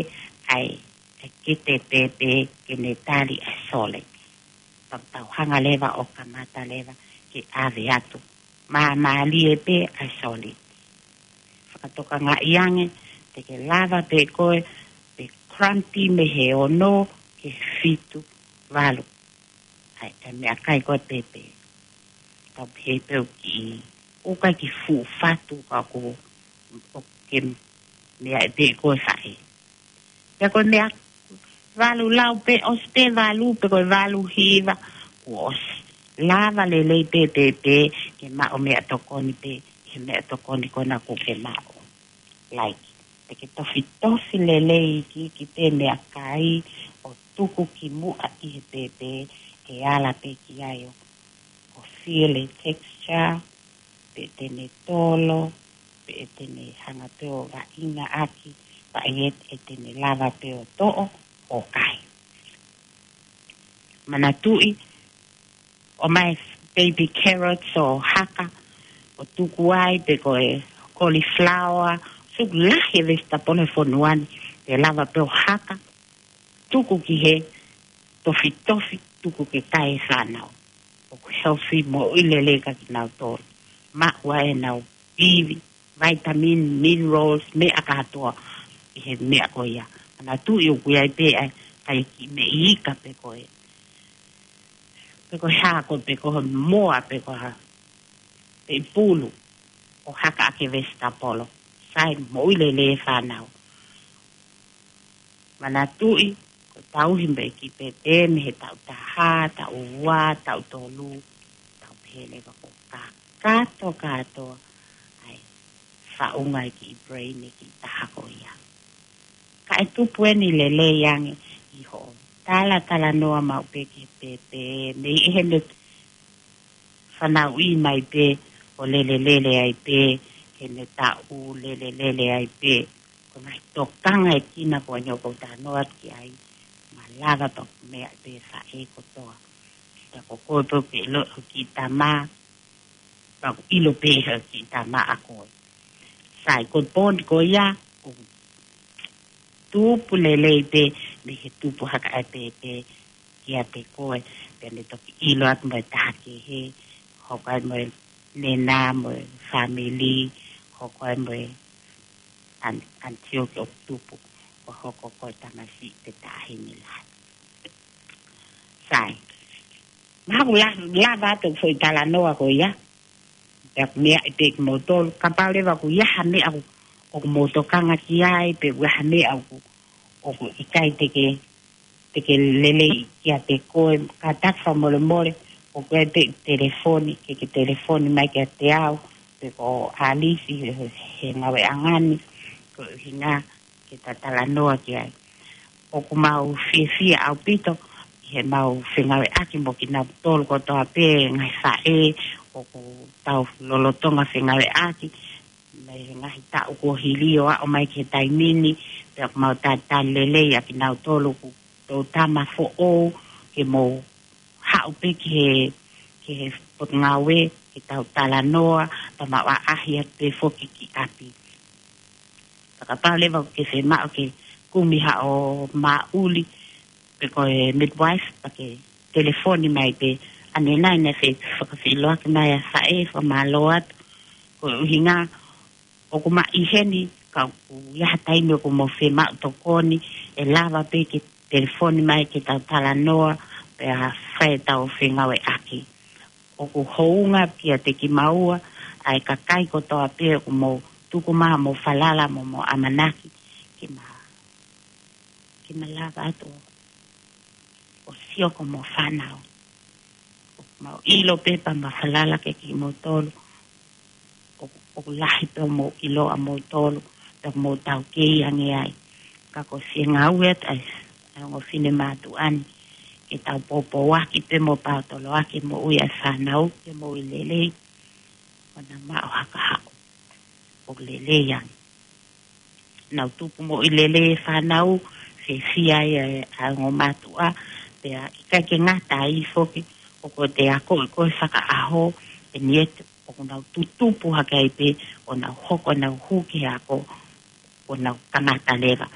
ʻa e, ʻa e kete pēpē ke ne tali ʻa e solid. Pea tau hanga leva ʻo kamata leva ke ʻave atu. Māmālie pē ʻa e solid. Fakatokangaʻi ange, te ke lava pē koe, pe cramp mei he ono ki he fitu, valu. ʻA e, ʻa e meʻakai ko e pēpē. Tau pehē pē ʻoku kiʻi, ʻoku ʻikai ke fuʻu fatu ka ʻoku, ʻoku ke meaʻi pē ko e faʻē. Pea ko e meʻa valu lau pē, ʻosi pē valu, pe ko e valu hiva, kuo ʻosi. Lava lelei pē pēpē ke maʻu meʻatokoni pē, he meʻatokoni ko ena ʻoku ke maʻu. Like, te ke tofitofi lelei iiki, iiki pē meʻakai, ʻo tuku ki muʻa ʻi he pēpē, ke ala pē ki ai ʻo, ʻo feel e texture, pe te ne tolo, pe te ne hanga pē ʻo vaʻinga ʻaki, pea ʻe, ʻe te ne lava pē ʻo toʻo, ʻo kai. Manatuʻi, ʻomai baby carrots ʻo haka, ʻo tuku ai pe ko e cauliflower, suku lahi e vegetable he fonua ni, te lava pē ʻo haka, tuku ki he tofitofi, tuku ke kai e fānau. ʻOku healthy, moʻui lelei kia kinautolu. Maʻu ai ʻenau ivi, vitamin, minerals, meʻa kātoa ʻi he meʻa ko ia. Manatuʻi ʻoku ʻi ai pē ʻa e, ʻa e kiʻi meʻi ika pe ko e pe ko e hā, ko e pe ko e moa, pe ko e hā, pe ʻi pulu, ʻo haka ʻaki e vesitapolo. Sai, moʻui lelei e fānau. Manatuʻi, ko e tauhi mei he kiʻi pēpē, mei he taʻu taha, taʻu ua, taʻu tolu, taʻu pehē leva, ko e kakato kātoa ʻa e faʻunga e kiʻi brain e kiʻi taha ko ia. Kae tupu eni lelei ange ʻi hoʻo talatalanoa maʻu pē ki he pēpē, mei heʻene fanauʻi mai pē ʻo lelelele ai pē, heʻene taʻu lelelele ai pē. Ko e ngaahi tokanga ʻe kina ko eni ʻoku ou talanoa atu ki ai, malava pē ʻoku meaʻi pē faʻē kotoa. Ka ko koe pē ʻoku ke ʻilo ʻe ho kiʻi tama, pea ʻoku ʻilo pē ʻe ho kiʻi tama ʻa koe. Sai, ko e poini ko ia, ʻoku tupu lelei pē mei he tupu haka ʻa e pēpē kiate koe, pea ne toki ʻilo atu mo e taha kehe, hoko ai mo e nena mo e fāmili, hoko ai mo e an-, until ke ʻoku tupu, ʻo hoko ko e tamasiʻi pe taʻahine lahi. Sai. Mahalo ʻoku la-, lava atu e foʻi talanoa ko ia. Pea ʻoku meaʻi pē kimoutolu, kapau leva ʻoku ʻi ai ha meʻa ʻoku, ʻoku mou tokanga ki ai, pe ʻoku ʻi ai ha meʻa ʻoku, ʻoku ʻikai te ke, te ke lelei kiate koe, kātaki fakamolemole, ʻoku ʻi ai pē e telefoni, ke ke telefoni mai kiate au, pe ko Alisi he, he ngāueʻanga ni, ko e ʻuhinga ke ta talanoa ki ai. ʻOku mau fiefia ʻaupito ʻi heʻemau fengāueʻaki mo kinautolu kotoa pē ngaahi faʻē ʻoku tau lolotonga fengāueʻaki mei he ngaahi taʻu kuo hili ʻo aʻu mai ki he taimi ni, pea ʻoku mau talitali lelei ʻa kinautolu ʻoku tau tama foʻou ke mou haʻu pē ki he, ki he potungāue, ke tau talanoa, pea mau ʻaʻahi atu pē foki ki ʻapi. Pea kapau leva ʻoku ke fiemaʻu ke kumi haʻo māʻuli, pe ko e midwife, pea ke telefoni mai pē, ʻanenai naʻe fai fakafeʻiloaki mai ʻa e faʻē, fakamālō atu, ko e ʻuhinga, ʻoku ma ʻi heni, ka ʻoku ʻi ai ha taimi ʻoku mou fiemaʻu tokoni, ʻe lava pē ke telefoni mai ke tau talanoa, pea fai ʻetau fengāueʻaki. ʻOku hounga kiate kimaua, ʻa e kakai kotoa pē ʻoku mou tuku mai hoʻomou falala mo hoʻomou ʻamanaki, ke ma, ke ma lava atu ʻo sio ki hoʻomou fānau. ʻOku mau ʻilo pē pea mau falala kiate kimoutolu. ʻOku, ʻoku lahi pē hoʻomou ʻilo ʻamoutolu, pea mou taukei ange ai. Ka ko e fie ngāue atu ʻa e, ʻa e ongo finemātuʻa ni, ke tau poupouaki pē mo paotoloaki e moʻui ʻa e fānau, ke moʻui lelei, ʻo nau maʻu ha kahaʻu ʻoku lelei ange. Nau tupu moʻui lelei e fānau, fiefia ai ʻa e, ʻa e ongo mātuʻa, pea ʻikai ke ngata ai foki, ʻoku te akoʻi koe fakaʻaho, ʻe niʻihi ʻoku nau tutupu hake ai pē, ʻo nau hoko, nau hū ki he ako, ʻo nau kamata leva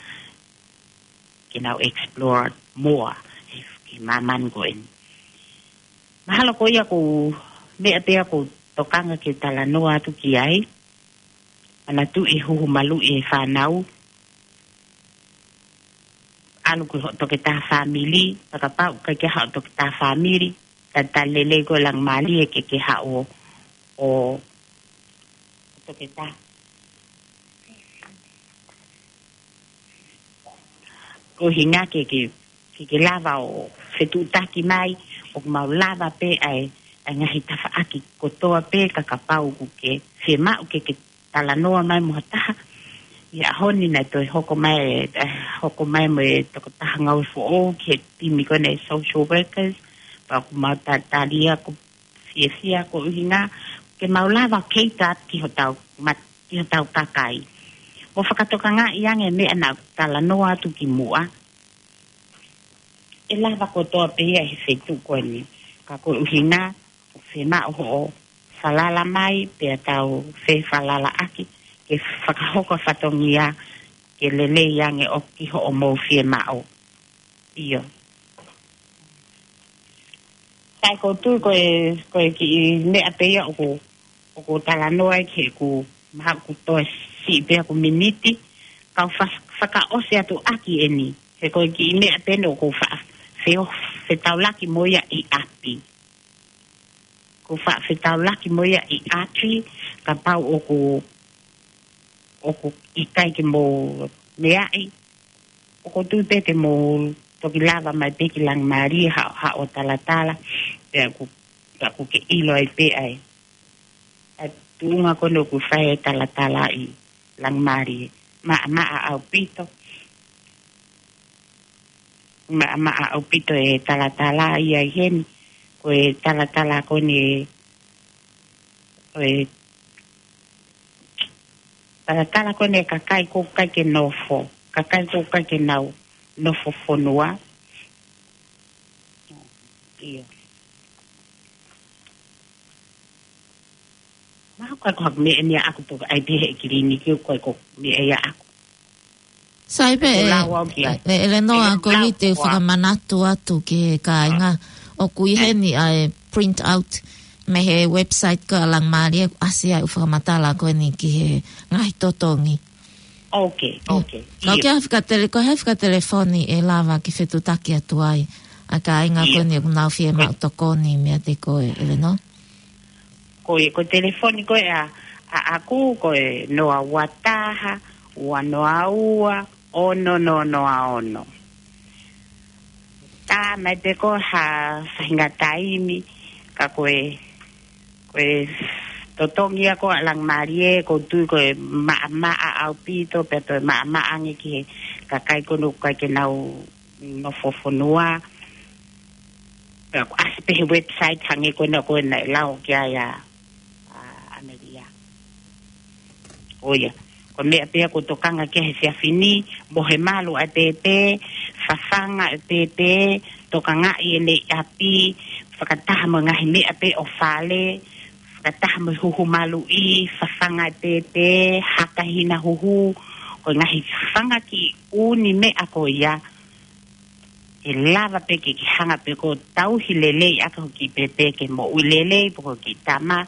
ke nau explore more he, he māmani ko eni. Mahalo ko ia ko e meʻa pē ia ʻoku ou tokanga ke talanoa atu ki ai. Manatuʻi huhu maluʻi e fānau. ʻAlu ki hoʻo toketā fāmili, pea kapau ʻoku ʻikai ke ʻi ai haʻo toketā fāmili, talitali lelei koe Langamālie ke ke haʻu ʻo, ʻo toketā. Ko e ʻuhinga ke, ke, ke, ke lava ʻo fetuʻutaki mai, ʻoku mau lava pē ʻa e, ʻa e ngaahi tafaʻaki kotoa pē ka kapau ʻoku ke fiemaʻu ke, ke talanoa mai mo ha taha. ʻI he ʻaho ni naʻe toe hoko mai, eh, hoko mai mo e tokotaha ngāue foʻou ki he timi ko eni e social workers, pea ʻoku mau talitali ia ʻoku fiefia ko e ʻuhinga, ke mau lava ʻo cater ki hotau mat-, ki hotau kakai. Mo fakatokangaʻi ange e meʻa naʻa ku talanoa atu kimuʻa. ʻE lava kotoa pē ia he feituʻu ko eni. Ka ko e ʻuhinga, ʻoku fiemaʻu hoʻo falala mai, pea tau fefalalaʻaki, ke fakahoko fatongia, ke lelei ange ʻo ki hoʻomou fiemaʻu. ʻIo. Sai, ʻoku ou tui ko e, ko e kiʻi meʻa pē ia ʻoku, ʻoku ou talanoa ai ki heʻeku, mahalo ʻoku toe siʻi pē ʻeku miniti, kau fa-, fakaʻosi atu ʻaki eni. He ko e kiʻi meʻa pē eni ʻoku ou fa-, feo-, fetaulaki mo ia ʻi ʻapi. ʻoku faʻa fetaulaki mo ia ʻi ʻapi, kapau ʻoku, ʻoku ʻikai ke mou meaʻi, ʻoku ou tui pē te mou toki lava mai pē ki Langamalie ha, haʻo talatala, pea ʻoku, pea ʻoku ke ʻilo ai pē ʻa e, ʻa e tuʻunga ko eni ʻoku fai e talatala ʻi Langamalie. Maʻamaʻa ʻaupito. Maʻamaʻa ʻaupito e talatala ia ʻi heni. Ko e talatala ko eni, ko e talatala ko eni e kakai ʻoku ʻikai ke nofo, kakai ʻoku ʻikai ke nau nofo fonua. ʻIo. Mahalo ko e, ko e meʻa eni ʻaʻaku, pea ʻai pē he kiliniki, ko e, ko e meʻa ia ʻaʻaku. Sai pē, ʻoku e, lau au ki ai. ʻE, ʻe, ʻElenoa, ʻoku ou lau ʻi ai ʻeku fakamanatu atu ki he kāinga. ʻOku ʻi heni ʻa e print out mei he website ko ia ʻa Langamalie, ʻoku ʻasi ai ʻeku fakamatala ko eni ki he ngaahi totongi. Ok, ok. Ka ʻoku ʻi ai ha fika tele-, ko e hā e fika telefoni ʻe lava ke fetuʻutaki atu ai ʻa e kāinga ko eni ʻoku nau fiemaʻu tokoni meiate koe, ʻElenoa? Ko e, ko e telefoni ko ia ʻa, ʻaʻaku ko e noa ua taha, ua noa ua, ono noa noa ono. Tā mai pē ko ha faʻahinga taimi, ka ko e, ko e totongi ia ko ia ʻa Langamalie, ʻoku ou tui ko e maʻamaʻa ʻaupito, pea toe maʻamaʻa ange ki he kakai ko eni ʻoku ʻikai ke nau nofo fonua. Pea ʻoku ʻasi pē he website hangē ko ena ko ena ʻe lau ki ai ʻa, ʻa ʻAmelia. ʻIo. Ko e meʻa pē ia ʻoku ou tokanga ki ai he efiafi ni, mohe malu ʻa e pēpē, fafanga ʻa e pēpē, tokangaʻi ʻene ʻapi, fakataha mo e ngaahi meʻa pē ʻo fale, fakataha mo e huhu maluʻi, fafanga ʻa e pēpē, haka hina huhu, ko e ngaahi fanga kiʻi ʻū meʻa ko ia, ʻe lava pē ke ke hanga pē ʻo tauhi lelei ʻaki hoʻo kiʻi pēpē ke moʻui lelei, pe ko e kiʻi tama,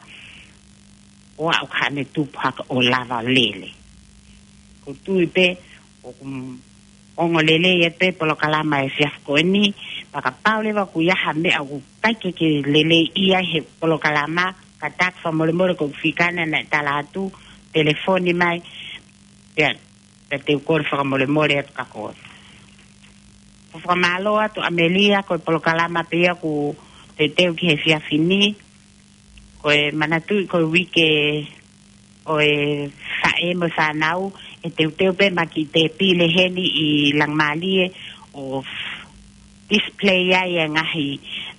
ʻo aʻu ki haʻane tupu hake ʻo lava lele. ʻOku ou tui pē ʻoku ongo lelei ʻa e polokalama he efiafi ko eni, pea kapau leva ʻoku ʻi ai ha meʻa ʻoku ʻikai ke ke lelei ʻi ai he polokalama, kātaki fakamolemole, ko e fika ena naʻe tala atu, telefoni mai, pea, pea te u kole fakamolemole atu kia koe. ʻOku ou fakamālō atu ʻAmelia, ko e polokalama pē ia ʻoku teuteu ki he efiafi ni, ko e manatuʻi ko e uike ʻo e faʻē mo e fānau, ʻe teuteu pē mai ki he tēpile heni ʻi Langamalie ʻo display ai e ngaahi,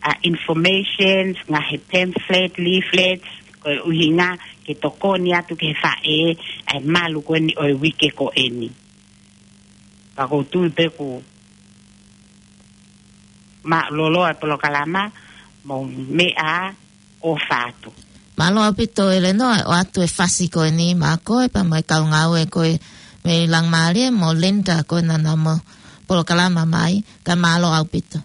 ʻa, informations, ngaahi pamphlet, leaflets, ko e ʻuhinga ke tokoni atu ki he faʻē, ʻa e malu ko eni ʻo e uike ko eni. Ka ʻoku ou tui pē ʻoku mālōlō ʻa e polokalama, mou meʻa ʻofa atu. Mālō ʻaupito ʻElenoa, ʻoatu e fasi ko eni maʻa koe pea mo e kau ngāue ko ē mei Langamalie mo Linda ko ē naʻa nau ō mai polokalama mai, ka mālō ʻaupito.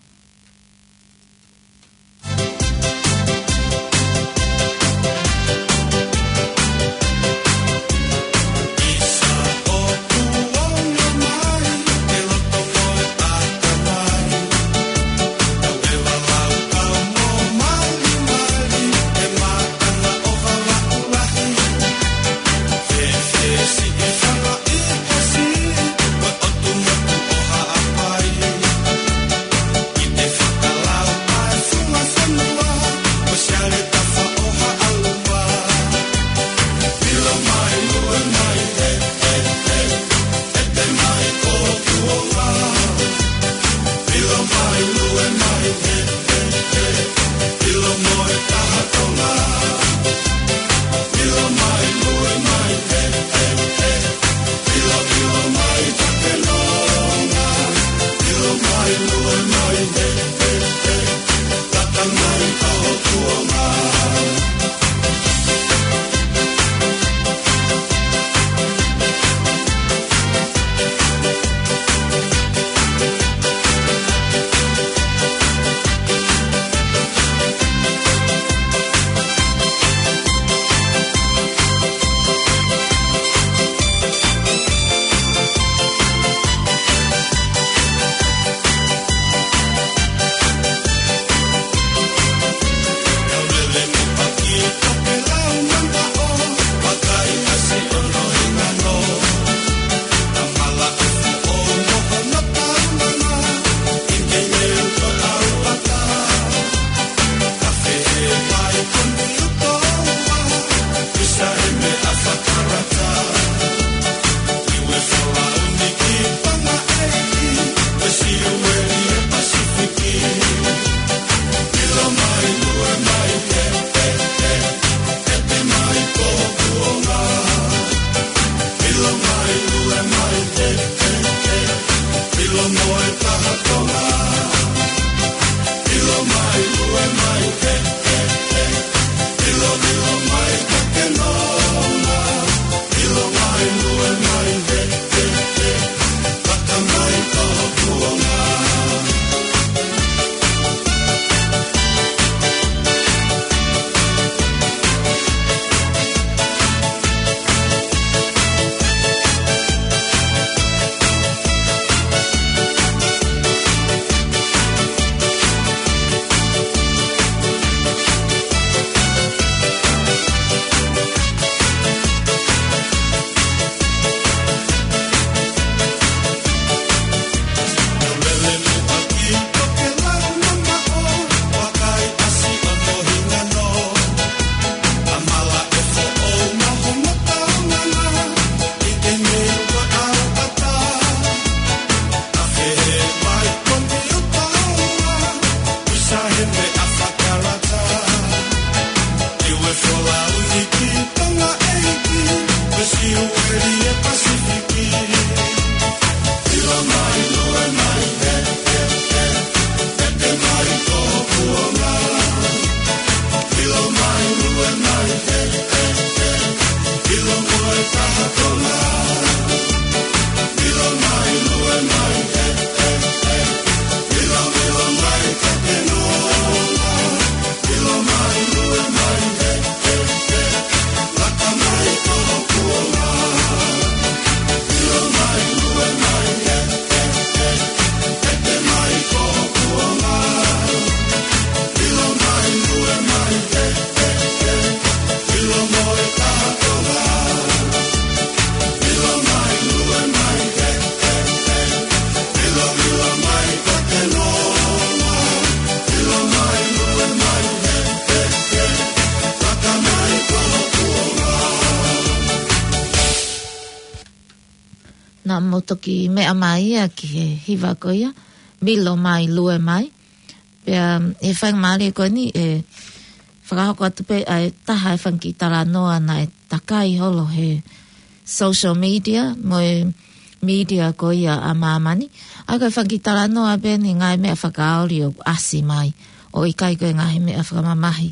Naʻa mou toki meʻa mai ia ki he hiva ko ia, Milo mai, lue mai. Pea, ʻi he faingamālie ko eni, ʻe fakahoko atu pē ʻa e taha e fanga kiʻi talanoa naʻe takai holo he social media, mo e media ko ia ʻa māmani. ʻA ia ko e fanga kiʻi talanoa pē eni ngaahi meʻa fakaoli ʻoku ʻasi mai. ʻOku ʻikai ko e ngaahi meʻa fakamamahi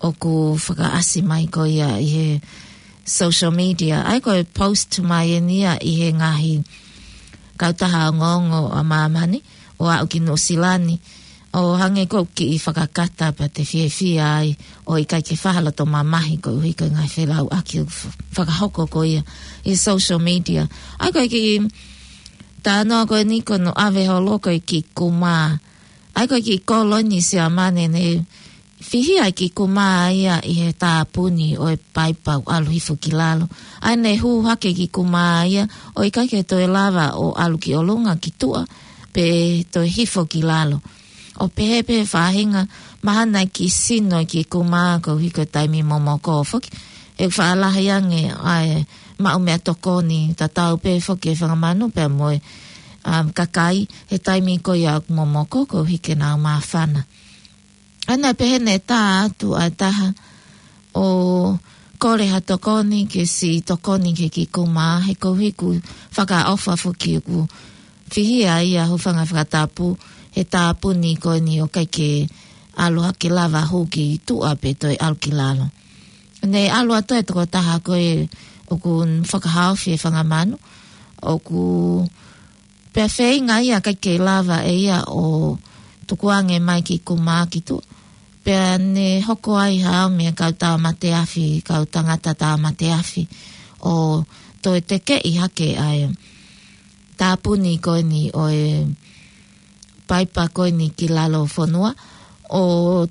ʻoku fakaʻasi mai ko ia ʻi he social media. ʻA ia ko e post mai eni ia ʻi he ngaahi kautaha ongoongo ʻa māmani, ʻo aʻu ki Nuʻusila ni, ʻo hangē ko e kiʻi fakakata pea te fiefia ai, ʻoku ʻikai ke faʻa loto mamahi koeʻuhi ko e ngaahi felauʻaki ʻoku f-, fakahoko ko ia ʻi social media. ʻA ia ko e kiʻi talanoa ko eni ko hono ʻave holo ko e kiʻi kumā. ʻA ia ko e kiʻi kolo eni Siamane ne fihi ai e kiʻi kumā ia ʻi he tāpuni ʻo e paipa ʻoku ʻalu hifo ki lalo. ʻA ia ne hū hake e kiʻi kumā ia, ʻoku ʻikai ke toe lava ʻo ʻalu ki ʻolunga ki tuʻa, pe toe hifo ki lalo. ʻO pehē pē faʻahinga mahalo naʻe kiʻi sino e kiʻi kumā koeʻuhi ko e taimi momoko foki. ʻE faʻa lahi ange ʻa e maʻu meʻatokoni tatau pē foki e fanga manu pea mo e, um, kakai he taimi ko ia ʻoku momoko koeʻuhi ke nau māfana. ʻA ia naʻe pehē ne tā atu ʻa e taha ʻo kole ha tokoni ke siʻi tokoni ki he kiʻi kumā, he koeʻuhi ʻoku fakaʻofa foki ʻoku fihi ai ʻa e hūfanga he fakatapu he tāpuni ko eni ʻoku ʻikai ke ʻalu hake lava hū ki tuʻa pe toe ʻalu ki lalo. Ne ʻalu atu e tokotaha ko ē ʻoku fakahaofi e fanga manu, ʻoku pea feinga ia ʻikai ke lava ʻe ia ʻo tukuange mai e kiʻi kumā ki tuʻa. Pea ne hoko ai ha ʻao mei he kau tāmate afi, kau tangata tāmate afi, ʻo toe tekeʻi hake ʻa e tāpuni ko eni ʻo e paipa ko eni ki lalo fonua, ʻo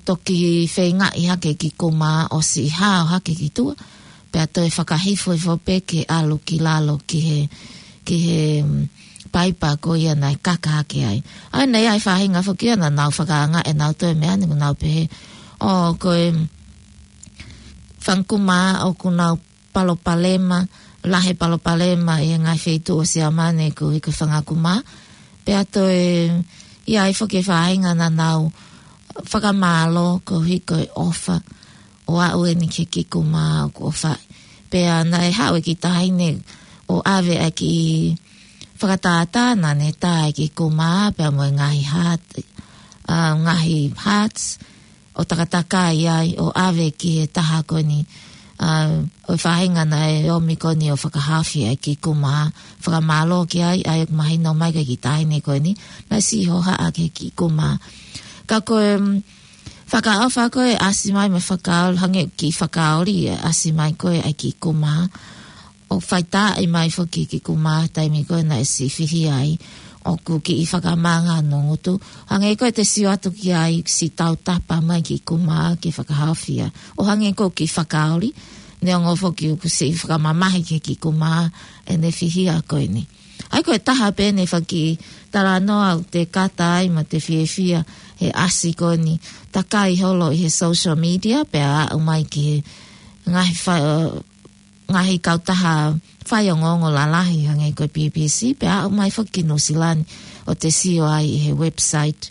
toki feingaʻi hake e kiʻi kumā ʻo siʻi hao hake ki tuʻa, pea toe fakahifo hifo pē ke ʻalu ki lalo ki he, ki he, mm, paipa ko ia naʻe kaka hake ai. ʻA ia naʻe ʻi ai e faʻahinga foki ia naʻa nau fakaangaʻi ʻenau toe meʻa ni, ʻoku nau pehē, ʻo ko e fanga kumā ʻoku nau palopalema, lahi e palopalema ʻi he ngaahi feituʻu ʻo Siamane koeʻuhi ko e fanga kumā. Pea toe ʻi ai foki e faʻahinga naʻa nau fakamālō koeʻuhi ko e ʻofa ʻo aʻu eni ki he kiʻi kumā ʻoku ʻofaʻi. Pea naʻe haʻu e kiʻi taʻahine ʻo ʻave ʻa e kiʻi fakatātā naʻa ne tā e kiʻi kumā pea mo e ngaahi hat, ʻa, ngaahi hats, ʻo takatakai ai, ʻo ʻave ki he taha ko eni, ʻa, ʻo e faʻahinga naʻe ʻomi ko eni ʻo fakahaofi ʻa e kiʻi kumā, fakamālō ki ai, ʻa ia ʻoku mahino mai ko e kiʻi taʻahine ko eni, naʻe siʻi hohaʻa ki he kiʻi kumā. Ka ko e, mm, fakaʻofa ko ē ʻasi mai mo e fakaoli, hangē kiʻi fakaoli ʻasi mai ko ē ʻa e kiʻi kumā, ʻo faitaaʻi mai foki e kiʻi kumā taimi ko ē naʻe siʻi fihi ai, ʻoku kiʻi fakamanga hono ngutu. Hangē ko ʻete sio atu ki ai, siʻi tautapa mai e kiʻi kumā ke fakahaofi ia. ʻO hangē ko e kiʻi fakaoli, neongo foki ʻoku siʻi fakamamahi ki he kiʻi kumā ʻene fihi ko eni. ʻA ia ko e taha pē eni e fanga kiʻi talanoa ʻoku te kata ai mo te fiefia he ʻasi ko eni takai holo ʻi he social media, pea aʻu mai ki he ngaahi fa-, ngaahi kautaha faiongoongo lalahi hangē ko e B B C, pea aʻu mai foki ki Nuʻusila ni ʻo te sio ai ʻi he website.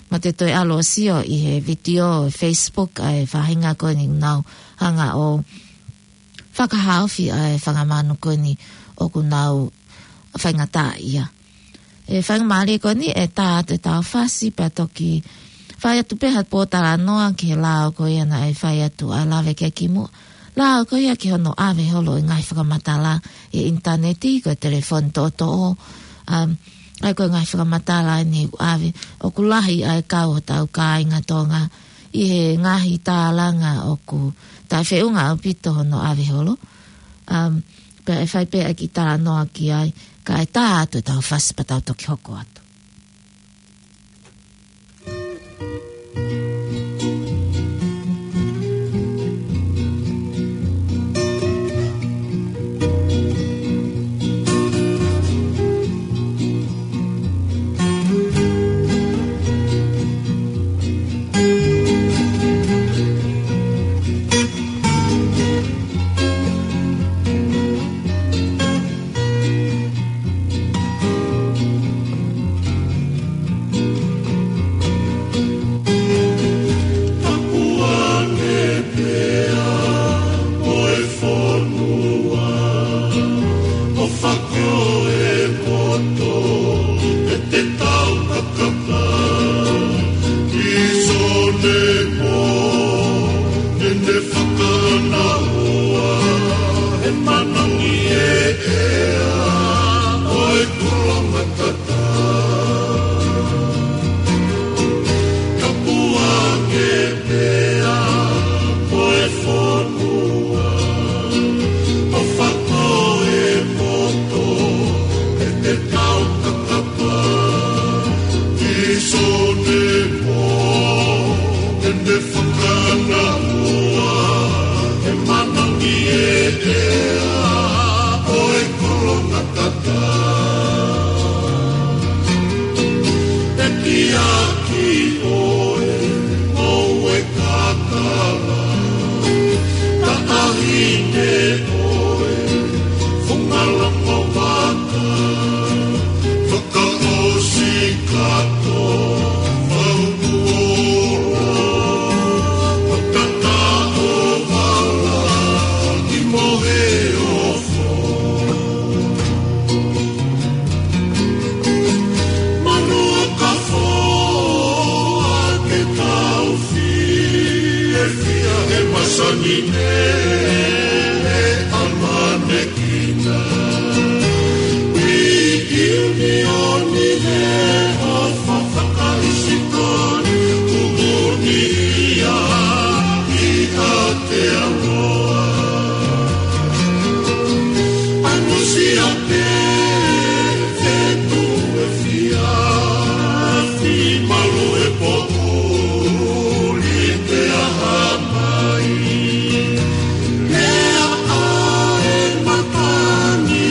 Mo te toe ʻalu ʻo sio ʻi he vitiō ʻi he Facebook ʻa e faʻahinga ko eni ʻoku nau hanga ʻo fakahaofi ʻa e fanga manu ko eni ʻoku nau faingataʻaʻia. ʻE faingamālie ko eni ʻe tā atu e tau fasi pea toki fai atu pē ha pōtalanoa ki he lao ko ia naʻe fai atu ʻa e lave ki ai kimuʻa. Lao ko ia ki hono ʻave holo e ngaahi fakamatala ʻi he ʻinitaneti, ko e telefoni toʻotoʻo, um, ʻa ia ko e ngaahi fakamatala eni ʻoku ʻave, ʻoku lahi ʻa e kau hotau kāinga Tonga ʻi he ngaahi tālanga ʻoku taʻefeʻunga ʻaupito hono ʻave holo. Um, pea ʻe fai pē ʻa e kiʻi talanoa ki ai, kae tā atu e tau fasi pea tau toki hoko atu. ʻIa ki ʻoe, ʻoe kakala, taʻahine ʻoe, funga langa vaka, fakaʻosi kātoa, mau kuola, fakataʻo vala, ki mohe ofo. Manu ka foa ke tau fiefia he masani ne ʻamanekina. ʻI ʻiunioni he ʻofa fakahisitōlia kuo ʻunuʻia ʻi Aotearoa. ʻAmusia pē fetu e fia, fimalu e poʻuli te aha mai. Lea ʻa e matani,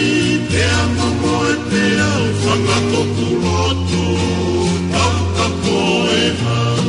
pea mamoe pea fanga koku lotu, pau ka poe hau.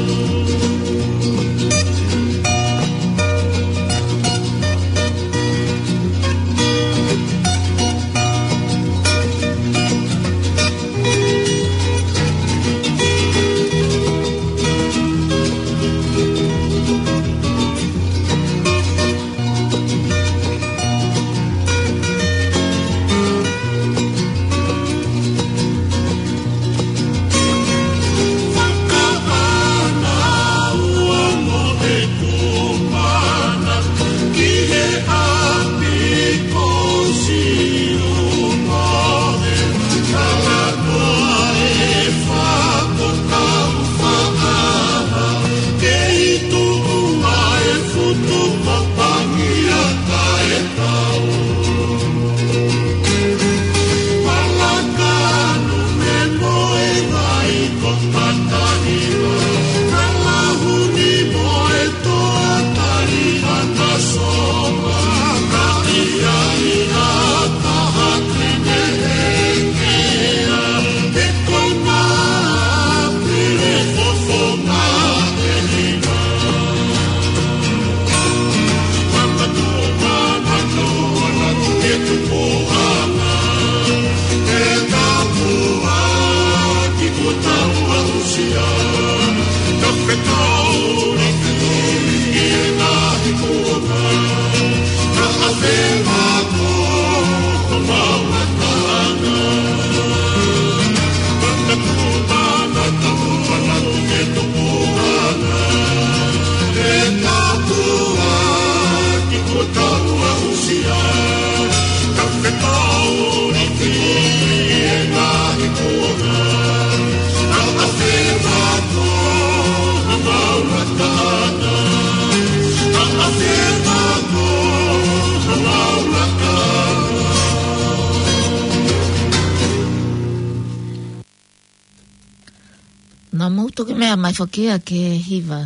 Naʻa mou toki meʻa mai foki ia ki he hiva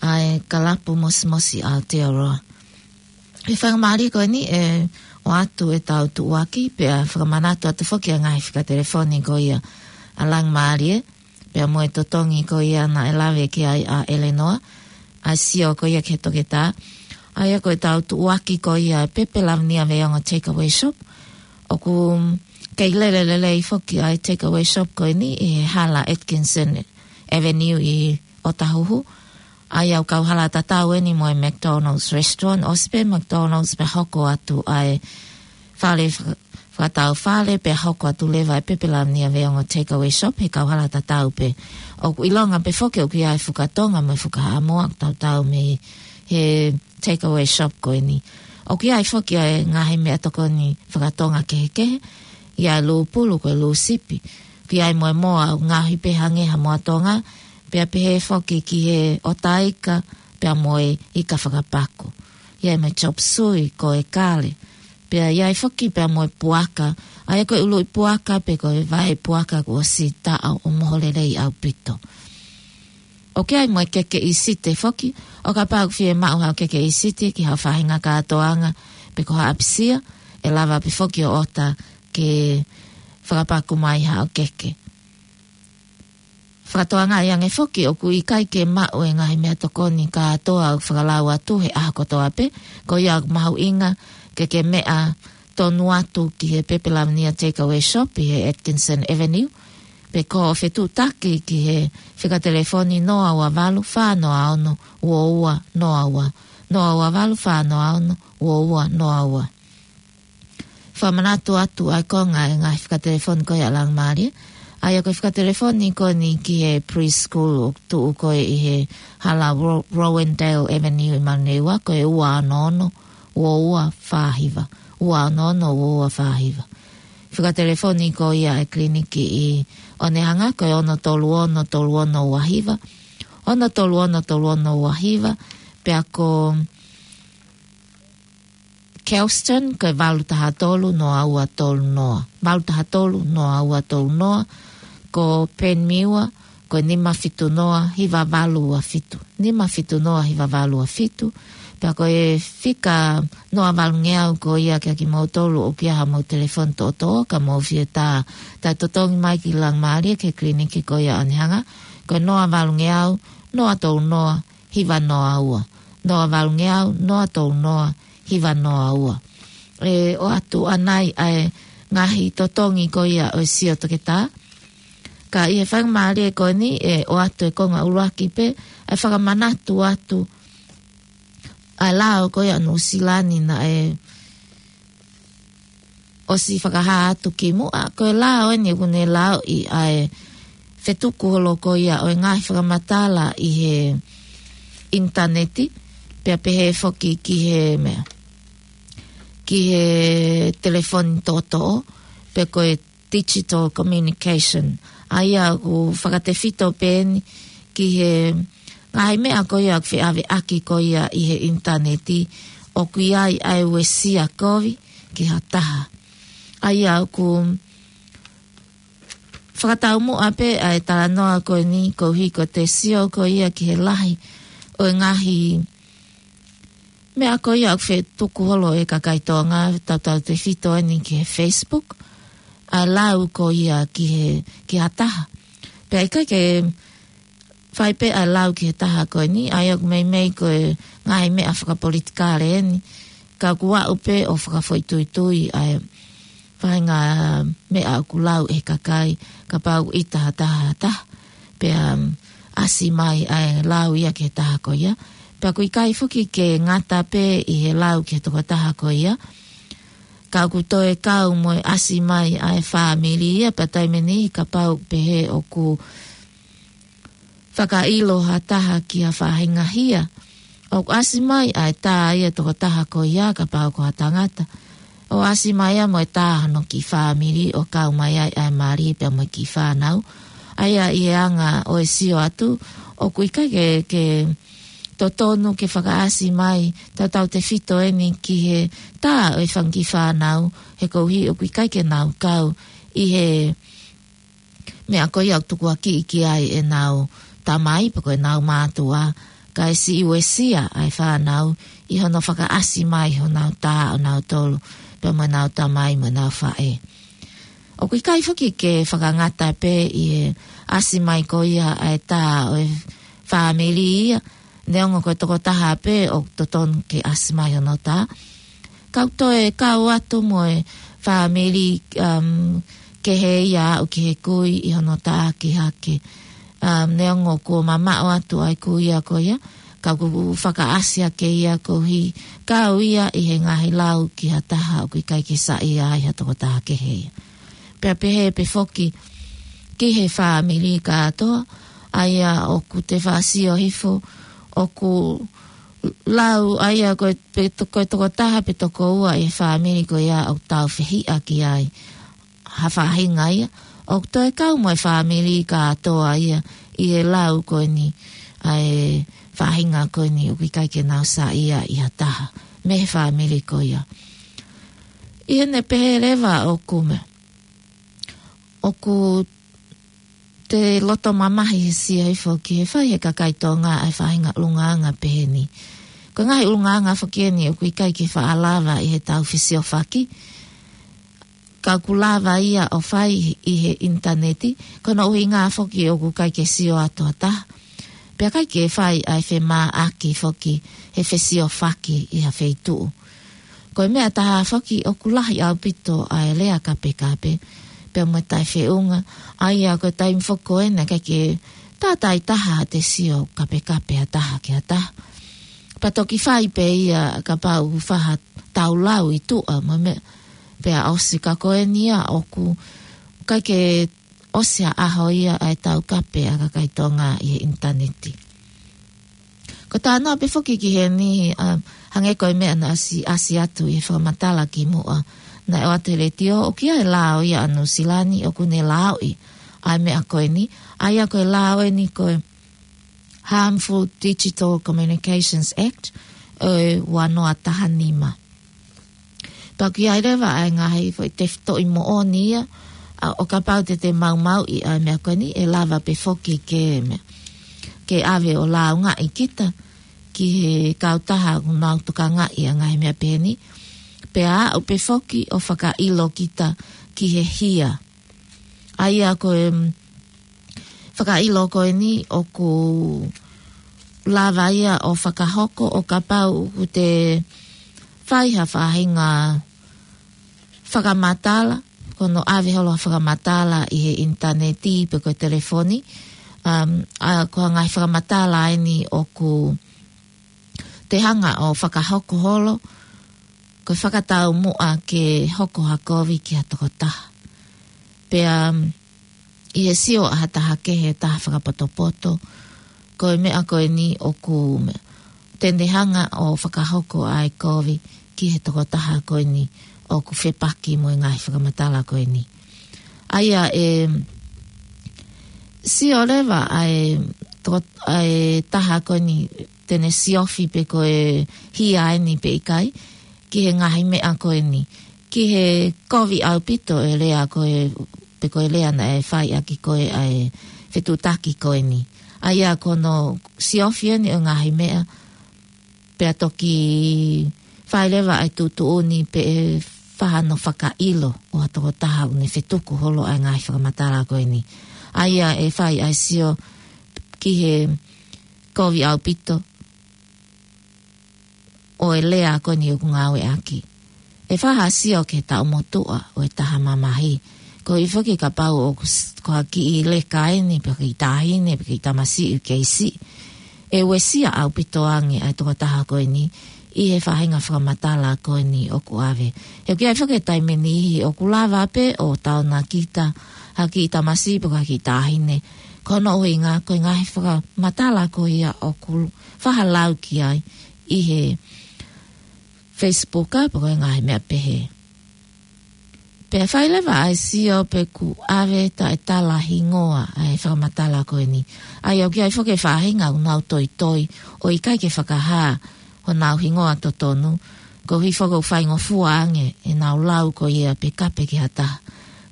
ʻa e Kalapu Mosimosi ʻa Aotearoa. ʻI he faingamālie ko eni ʻe ʻoatu ʻetau tuʻuaki, pea fakamanatu atu foki ʻa e ngaahi fika telefoni ko ia ʻa Langimālie, pea mo e totongi ko ia naʻe lave ki ai ʻa ʻElenoa, ʻa e sio ko ia ki he toketā. ʻA ia ko ʻetau tuʻuaki ko ia ʻa e Pepe Lavinia Veiongo Takeaway Shop. ʻOku kei lele lelei foki ʻa e takeaway shop ko eni ʻi he hala Atkinson Avenue ʻi ʻŌtāhuhu. ʻA ia ʻoku kau hala tatau eni mo e McDonald's Restaurant, ʻosi pē McDonald's pea hoko atu ʻa e fale faka-, fakatau fale pea hoko atu leva ʻa e Pepe Lavinia Veiongo Takeaway Shop he kau hala tatau pē. ʻOku ʻilonga pē foki ʻoku ʻi ai e fuka Tonga mo e fuka Haʻamoa ʻoku tautau mei he takeaway shop ko eni. ʻOku ʻi ai foki ʻa e ngaahi meʻatokoni fakatonga kehekehe, ʻi ai e lūpulu ko e lūsipi, ʻoku ʻi ai mo e moa ʻoku ngaohi pē hangē ha moa Tonga, pea pehē foki ki he ʻotaika, pea mo e ika fakapaku. ʻI ai mo e chop suey ko e kale, pea ʻi ai foki pea mo e puaka, ʻa ia ko e ʻuluʻi puaka pe ko e vaʻe puaka kuo ʻosi taʻo ʻo moho lelei ʻaupito. ʻOku ʻi ai mo e keke ʻīsite foki, ʻo kapau ʻoku fiemaʻu haʻo keke ʻīsite ki haʻo faʻahinga kātoanga, pe ko ha ʻapisia, ʻe lava pē foki ʻo ʻota ke fakapaku mai haʻo keke. Fakatokangaʻi ange foki ʻoku ʻikai ke maʻu e ngaahi meʻatokoni kātoa ʻoku fakalau atu he ʻaho kotoa pē, ko ia ʻoku mahuʻinga ke ke meʻa tonu atu ki he Pepe Lavinia Takeaway Shop ʻi he Atkinson Avenue, pe ko e fetuʻutaki ki he fika telefoni noa ua valu fā noa ono ua ua noa ua, noa ua valu fā noa ono ua ua noa ua. Fakamanatu atu ʻa e konga e ngaahi fika telefoni ko ia Langmali. ʻA ia ko e fika telefoni ko eni ki he preschool ʻoku tuʻu ko ē ʻi he hala Ro-, Rowandale Avenue ʻi Manurewa, ko e ua ono ono ua ua fā hiva. Ua ono ono ua ua fā hiva. Fika telefoni ko ia e kiliniki ʻi Onehunga, ko e ono tolu ono tolu ono ua hiva. Ono tolu ono tolu ono ua hiva. Pea ko Kelston, ko e valu taha tolu noa ua tolu noa. Valu taha tolu noa ua tolu noa. Ko Penmiwa, ko e nima fitu noa hiva valu ua fitu. Nima fitu noa hiva valu ua fitu. Pea ko e fika noa valungeau ko ia kia kimoutolu ʻoku ʻi ai haʻamou telefoni toʻotoʻo, ka mou fie tā, tā totongi mai ki Langmali ki he kiliniki ko ia Onehunga. Ko e noa valungeau, noa tolu noa, hiva noa ua. Noa valungeau, noa tolu noa, hiva noa ua. ʻE ʻoatu ʻanai ʻa e ngaahi totongi ko ia ʻo e sio toketā. Ka ʻi he faingamālie ko eni ʻe ʻoatu e konga ʻuluaki pē ʻa e fakamanatu atu ʻa e lao ko ia Nuʻusila ni naʻe ʻosi fakahā atu kimuʻa, ko e lao eni ʻoku ne laoʻi ʻa e fetuku holo ko ia ʻo e ngaahi fakamatala ʻi he ʻinitaneti, pea pehē foki ki he meʻa, ki he telefoni toʻotoʻo, pe ko e digital communication. ʻA ia ʻoku fakatefito pē eni ki he ngaahi meʻa ko ia ʻoku feʻaveʻaki ko ia ʻi he ʻinitaneti, ʻoku ʻi ai ʻa e uesia kovi ki ha taha. ʻA ia ʻoku fakataumuʻa pē ʻa e talanoa ko eni koeʻuhi ko ʻete sio ko ia ki he lahi ʻo e ngaahi meʻa ko ia ʻoku fetuku holo ʻe he kakai Tonga, tautautefito eni ki he Facebook, ʻa e lau ko ia ki he, ki ha taha. Pea ʻikai ke fai pē ʻa e lau ki he taha ko eni, ʻa ia ʻoku meimei ko e ngaahi meʻa fakapolitikale eni, ka ʻoku aʻu pē ʻo fakafoʻituitui ʻa e faʻahinga meʻa ʻoku lau ʻe he kakai, kapau ʻe ʻita ha taha ha taha, pea, um, ʻasi mai ʻa e lau ia ki he taha ko ia. Pea ʻoku ʻikai foki ke ngata pē ʻi he lau ki he tokotaha ko ia, ka ʻoku toe kau mo e ʻasi mai ʻa e fāmili ia, pea taimi ʻe niʻihi kapau pehē ʻoku fakaʻilo ha taha ki ha faʻahinga hia, ʻoku ʻasi mai ʻa e tā ia tokotaha ko ia kapau ko ha tangata, ʻo ʻasi mai ia mo e tā hono kiʻi fāmili ʻo kau mai ai ʻa e mali pea mo e kiʻi fānau. ʻA ia ʻi he anga ʻo e sio atu, ʻoku ʻikai ke, ke totonu ke fakaʻasi mai tautautefito eni ki he tā ʻo e fanga kiʻi fānau, he koeʻuhi ʻoku ʻikai ke nau kau ʻi he meʻa ko ia ʻoku tukuakiʻi ki ai ʻenau tamai, pe ko ʻenau mātuʻa, kae siʻi uesia ʻa e fānau ʻi hono fakaʻasi mai honau tā ʻonautolu, pea mo ʻenau tamai mo ʻenau faʻē. ʻOku ʻikai foki ke fakangata pē ʻi he ʻasi mai ko ia ʻa e tā ʻo e fāmili ia, neongo ko e tokotaha pē ʻoku totonu ke ʻasi mai hono tā. Ka ʻoku toe kau atu mo e fāmili, um, kehe ia aʻu ki he kui ʻi hono tāki hake. Um, neongo kuo mamaʻo atu ʻa e kui ia ko ia, ka ʻoku fakaʻasi hake ia koeʻuhi kau ia ʻi he ngaahi lau ki ha taha ʻoku ʻikai ke saiʻia ai ha tokotaha kehe ia. Pea pehē pē foki ki he fāmili kātoa, ʻa ia ʻoku te faʻa sio hifo, ʻoku lau ʻa ia ko e pe to-, ko e tokotaha pe tokoua ʻi he fāmili ko ia ʻoku tāufehiʻa ki ai ha faʻahinga ia, ʻoku toe kau mo e fāmili kātoa ia ʻi he lau ko eni ʻa e faʻahinga ko eni ʻoku ʻikai ke nau saiʻia ʻi ha taha mei he fāmili ko ia. ʻI heʻene pehē leva ʻoku meʻa, ʻoku te loto mamahi he sio hifo ki he fai ʻe he kakai Tonga ʻa e faʻahinga ʻulungaanga pehē ni. Ko e ngaahi ʻulungaanga foki eni ʻoku ʻikai ke faʻa lava ʻi heʻetau fesiofaki. ka ʻoku lava ia ʻo fai ʻi he ʻinitaneti, ko hono ʻuhinga foki ʻoku ʻikai ke sio atu ha taha. Pea ʻikai ke fai ʻa e femāʻaki foki he fesiofaki ʻi ha feituʻu. Ko e meʻa ʻe taha foki ʻoku lahi ʻaupito ʻa e lea kapekape, pea mo e taʻefeʻunga, ʻa ia ko e taimi foki ko ena ʻikai ke tātāitaha ʻa e sio kapekape ha taha ki ha taha. Pea toki fai pē ia kapau ʻoku faʻa tau lau ʻi tuʻa mo e meʻa, pea ʻosi ka ko eni ia ʻoku ʻikai ke ʻosi ha ʻaho ia ʻa e taukape ʻa e kakai Tonga ʻi he ʻinitaneti. Ko e talanoa pē foki ki heni, um, hangē ko e meʻa naʻe ʻasi, ʻasi atu ʻi he fakamatala kimuʻa, naʻe ʻoatu he letiō, ʻoku ʻi ai e lao ia ʻa Nuʻusila ni ʻoku ne laoʻi ʻa e meʻa ko eni, ʻa ia ko e lao eni ko e Harmful Digital Communications Act ʻo e ua noa taha nima. Pea ʻoku ʻi ai leva ʻa e ngaahi foʻi tefitoʻi moʻoni ia, ʻa, ʻo kapau te te maumauʻi ʻa e meʻa ko eni, ʻe lava pē foki ke meʻa, ke ʻave ʻo lāungaʻi kita ki he kautaha ʻoku nau tokangaʻi ʻa e ngaahi meʻa pehē ni. Pea aʻu pē foki ʻo fakaʻilo kita ki he hia. ʻA ia ko e, mm, fakaʻilo ko eni ʻoku lava ia ʻo fakahoko ʻo kapau ʻoku te fai ha faʻahinga fakamatala, ko hono ʻave holo ha fakamatala ʻi he ʻinitaneti pe ko e telefoni, um, ʻa, ko e ngaahi fakamatala eni ʻoku te hanga ʻo fakahoko holo, ko e fakataumuʻa ke hoko ha kovi ki ha tokotaha. Pea, um, ʻi he sio ʻa ha taha kehe, taha fakapotopoto, ko e meʻa ko eni ʻoku meʻa, te ne hanga ʻo fakahoko ʻa e kovi ki he tokotaha ko eni ʻoku fepaki mo e ngaahi fakamatala ko eni. ʻA ia ʻe sio leva ʻa e toko-, ʻa e taha ko eni te ne siofi pe ko e hia eni pe ʻikai, ki he ngaahi meʻa ko eni. Ki he kovi ʻaupito e lea ko e, pe ko e lea naʻe fai ʻaki ko e ʻa e fetuʻutaki ko eni. ʻA ia ko hono siofi eni ʻo e ngaahi meʻa, pea toki fai leva ʻa e tuʻutuʻuni pe ʻe faʻa hano fakaʻilo ʻo ha tokotaha ʻoku ne fetuku holo ʻa e ngaahi fakamatala ko eni. ʻA ia ʻe fai ʻa e sio ki he kovi ʻaupito ʻo e lea ko eni ʻoku ngāueʻaki. ʻE faʻa sio ki he taʻu motuʻa ʻo e taha mamahi. Koeʻuhi foki kapau ʻoku s-, ko ha kiʻi leka eni, pe ko ha kiʻi taʻahine, pe ko ha kiʻi tamasiʻi kei siʻi, ʻe uesia ʻaupito ange ʻa e tokotaha ko eni ʻi he faʻahinga fakamatala ko eni ʻoku ʻave. He ʻoku ʻi ai foki e taimi ʻe niʻihi ʻoku lava pē ʻo taonakita ha kiʻi tamasiʻi pe ko ha kiʻi taʻahine. Ko hono ʻuhinga, ko e ngaahi fakamatala ko ia ʻoku faʻa lau ki ai ʻi he Facebook pe ko e ngaahi meʻa pehē. Pea fai leva ʻa e sio pe ʻoku ʻave taʻetala hingoa ʻa e fakamatala ko eni. ʻA ia ʻoku ʻi ai foki e faʻahinga ʻoku nau toitoi ʻo ʻikai ke fakahā honau hingoa totonu, koeʻuhi foki ʻoku faingofua ange ʻenau lau ko ia pe kape ki ha taha,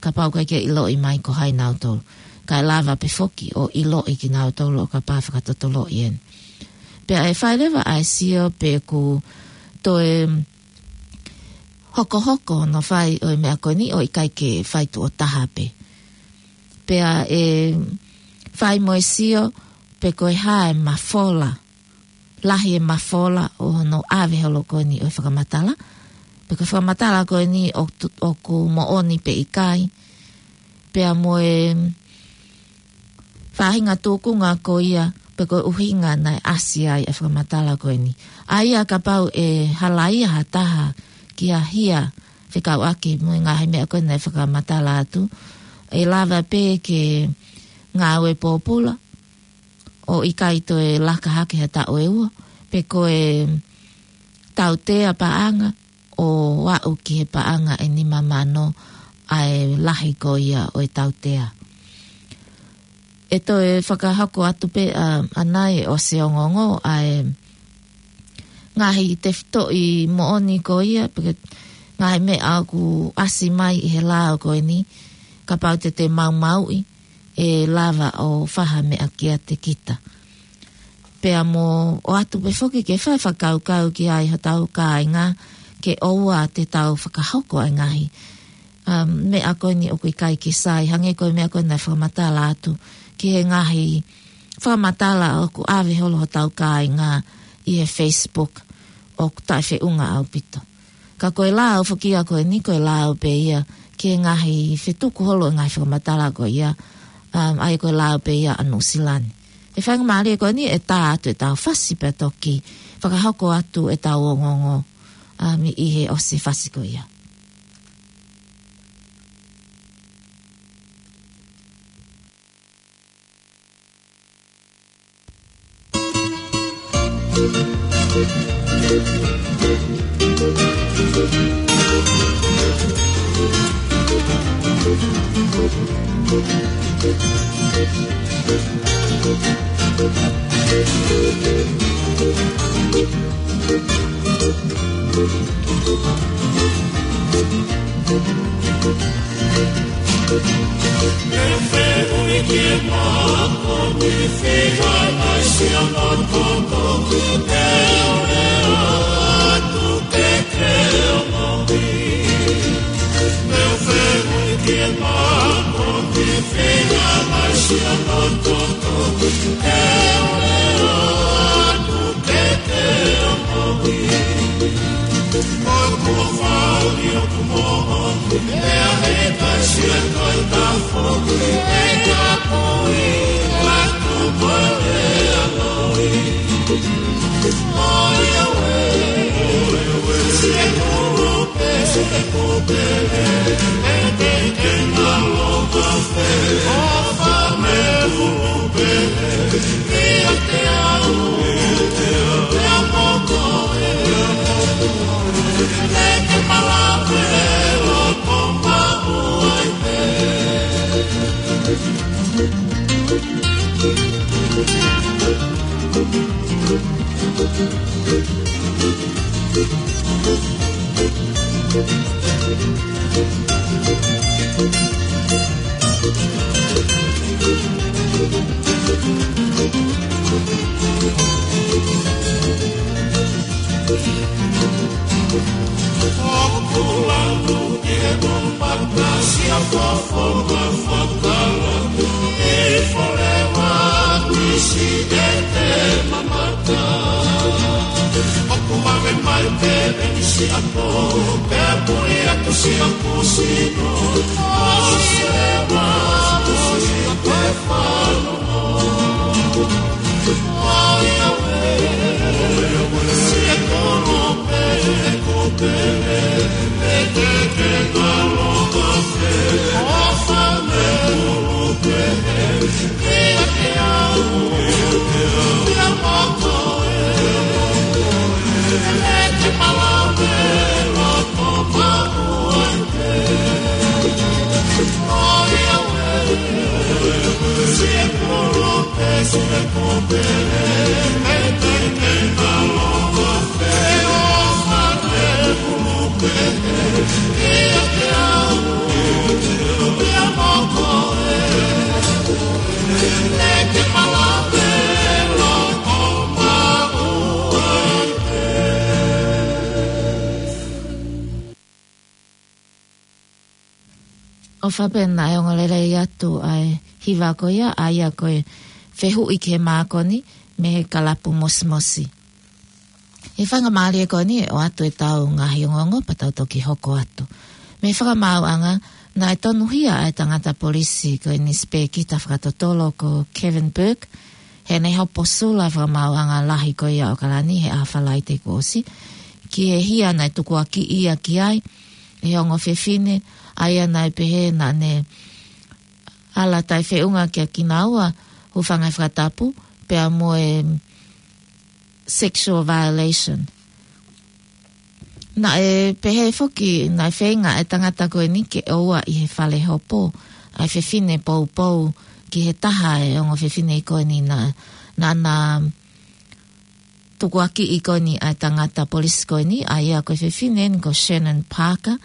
kapau ʻoku ʻikai ke ʻiloʻi mai ko hai nautolu. Kae lava pē foki ʻo ʻiloʻi kinautolu ʻo kapau fakatotoloʻi eni. Pea ʻe fai leva ʻa e sio pe ʻoku toe hokohoko hono fai ʻo e meʻa ko eni ʻo ʻikai ke fai tuʻo taha pē. Pea ʻe fai mo e sio pe ko e hā e mafola, lahi e mafola ʻo hono ʻave holo ko eni ʻo e fakamatala. Pe ko e fakamatala ko eni ʻo tu-, ʻoku moʻoni pe ʻikai. Pea mo e faʻahinga tūkunga ko ia, pe ko e ʻuhinga naʻe ʻasi ai ʻa e fakamatala ko eni. ʻA ia kapau ʻe halaia ha taha ki ha hia fekauʻaki mo e ngaahi meʻa ko ē naʻe fakamatala atu, ʻe lava pē ke ngāue pōpula, ʻo ʻikai toe laka hake ha taʻu ʻe ua, pe ko e tautea paʻanga, ʻo aʻu ki he paʻanga ʻe nima mano ʻa e lahi ko ia ʻo e tautea. ʻE toe fakahoko atu pē ʻa, ʻanai ʻosi ongoongo ʻa e ngaahi tefitoʻi moʻoni ko ia, pe ko e ngaahi meʻa ʻoku ʻasi mai ʻi he lao ko eni, kapau te te maumauʻi, ʻe lava ʻo faha meʻa kiate kita. Pea mo ʻoatu pē foki ke fai fakakaukau ki ai hotau kāinga, ke ʻoua te tau fakahoko ʻa e ngaahi um, meʻa ko eni ʻoku ʻikai ke sai, hangē ko e meʻa ko eni naʻe fakamatala atu ki he ngaahi fakamatala ʻoku ʻave holo hotau kāinga ʻi he Facebook ʻoku taʻefeʻunga ʻaupito. Ka ko e lao foki ia ko eni, ko e lao pē ia ki he ngaahi fetuku holo e ngaahi fakamatala ko ia, um, ʻa ia ko e lao pē ia ʻa Nuʻusila ni. ʻE faingamālie ko eni ʻe tā atu ʻetau fasi pea toki fakahoko atu ʻetau ongoongo, um, ʻi he ʻosi fasi ko ia. ʻOfa pē naʻe ongo lelei atu ʻa e hiva ko ia, ʻa ia ko e Fehuʻi ki he Mākoni mei he Kalapu Mosimosi. ʻE faingamālie ko eni ʻe ʻoatu ʻetau ngaahi ongoongo pea tau toki hoko atu. Mei he fakamaauʻanga, naʻe tonuhia ʻa e tangata polisi ko eni sipēkita fakatotolo ko Kevin Burke, heʻene hopo sula fakamaauʻanga lahi ko ia ʻo ʻAokalani he ʻaho Falaite kuo ʻosi, ki he hia naʻe tukuakiʻi ia ki ai ʻe he ongo fefine, ʻa ia naʻe pehē naʻa ne ala taʻefeʻunga kia kinaua, hūfanga he fakatapu, pea mo e sexual violation. Naʻe pehē foki, naʻe feinga e tangata ko eni ke ʻoua ʻi he fale hopo ʻa e fefine poupou ki he taha e ongo fefine ko eni naʻa, naʻa na tukuakiʻi ko eni ʻa e tangata polisi ko eni, ʻa ia ko e fefine eni ko Shannon Parker,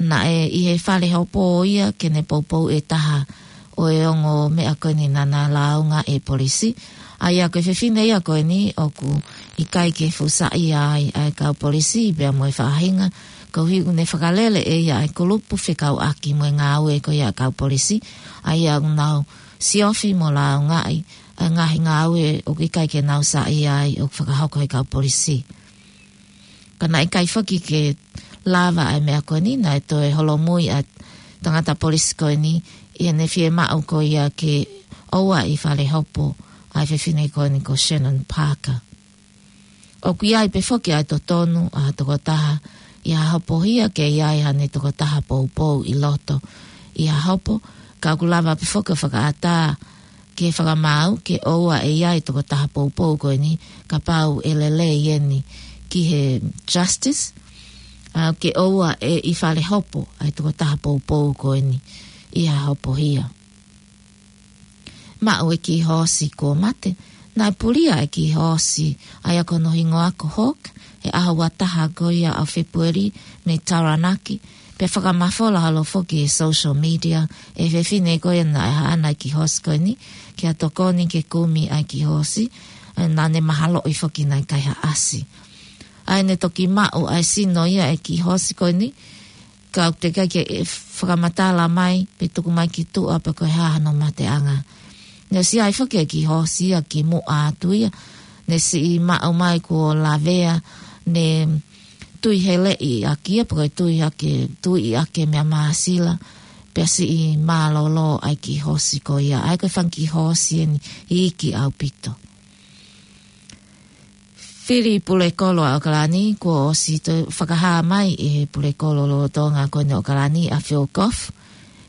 naʻe ʻi he fale hopo ia ke ne poupou e taha ʻo e ongo meʻa ko eni naʻa na lāunga ʻe he polisi. ʻA ia ko e fefine ia ko eni ʻoku ʻikai ke fusaʻia ai ʻa e kau polisi pea mo e faʻahinga Koeʻuhi ʻoku ne fakalele ʻe ia ʻa e kulupu fekauʻaki mo e ngāue ko ia ʻa e kau polisi, ʻa ia ʻoku nau siofi mo lāungaʻi ʻa e ngaahi ngāue ʻoku ʻikai ke nau saiʻia ai ʻoku fakahoko ʻe he kau polisi. Ka naʻe ʻikai foki ke lava ʻa e meʻa ko eni, naʻe toe holomui ʻa e tangata polisi ko eni ʻi heʻene fiemaʻu ko ia ke ʻoua ʻe falehopo ʻa e fefine ko eni ko Shannon Parker. ʻOku ʻi ai pē foki ʻa e totonu ʻa ha tokotaha ʻi ha hopohia ke ʻi ai haʻane tokotaha poupou ʻi loto ʻi ha hopo, ka ʻoku lava pē foki ʻo fakaʻatā ke fakamaau ke ʻoua ʻe ʻi ai e tokotaha poupou ko eni, kapau ʻe lelei eni ki he justice, ʻa, ke ʻoua ʻe falehopo ʻa e tokotaha poupou ko eni ʻi ha hopohia. Maʻu e kiʻi hoosi kuo mate. Naʻe pulia e kiʻi hoosi, ʻa ia ko hono hingoa ko Hawk, he ʻaho ua taha ko ia ʻo Fēpueli mei Taranaki, pea fakamafola holo foki he social media ʻe he fefine ko ia naʻe haʻana e kiʻi hoosi ko eni, ke tokoni ke kumi ʻa e kiʻi hoosi, ʻa, naʻa ne mahaloʻi foki naʻe ʻikai ha ʻasi. ʻA ia ne toki maʻu ʻa e sino ia ʻo e kiʻi hoosi ko eni, ka ʻoku teʻeki ke fakamatala mai pe tuku mai ki tuʻa pe ko e hā hano mateʻanga. Ne ʻosi ʻi ai foki e kiʻi hoosi ia kimuʻa atu ia, ne siʻi maʻu mai kuo lavea, ne tui heleʻi ʻaki ia pe ko e tui ʻaki, tui ʻaki e meʻa māsila, pea siʻi mālōlō ʻa e kiʻi hoosi ko ia. ʻA ia ko e fanga kiʻi hoosi eni iiki ʻaupito. Fili pulekolo ʻa ʻOkalani, kuo ʻosi toe fakahā mai ʻe he pulekolo lolotonga ko eni ʻo ʻOkalani ʻa Phil Goff,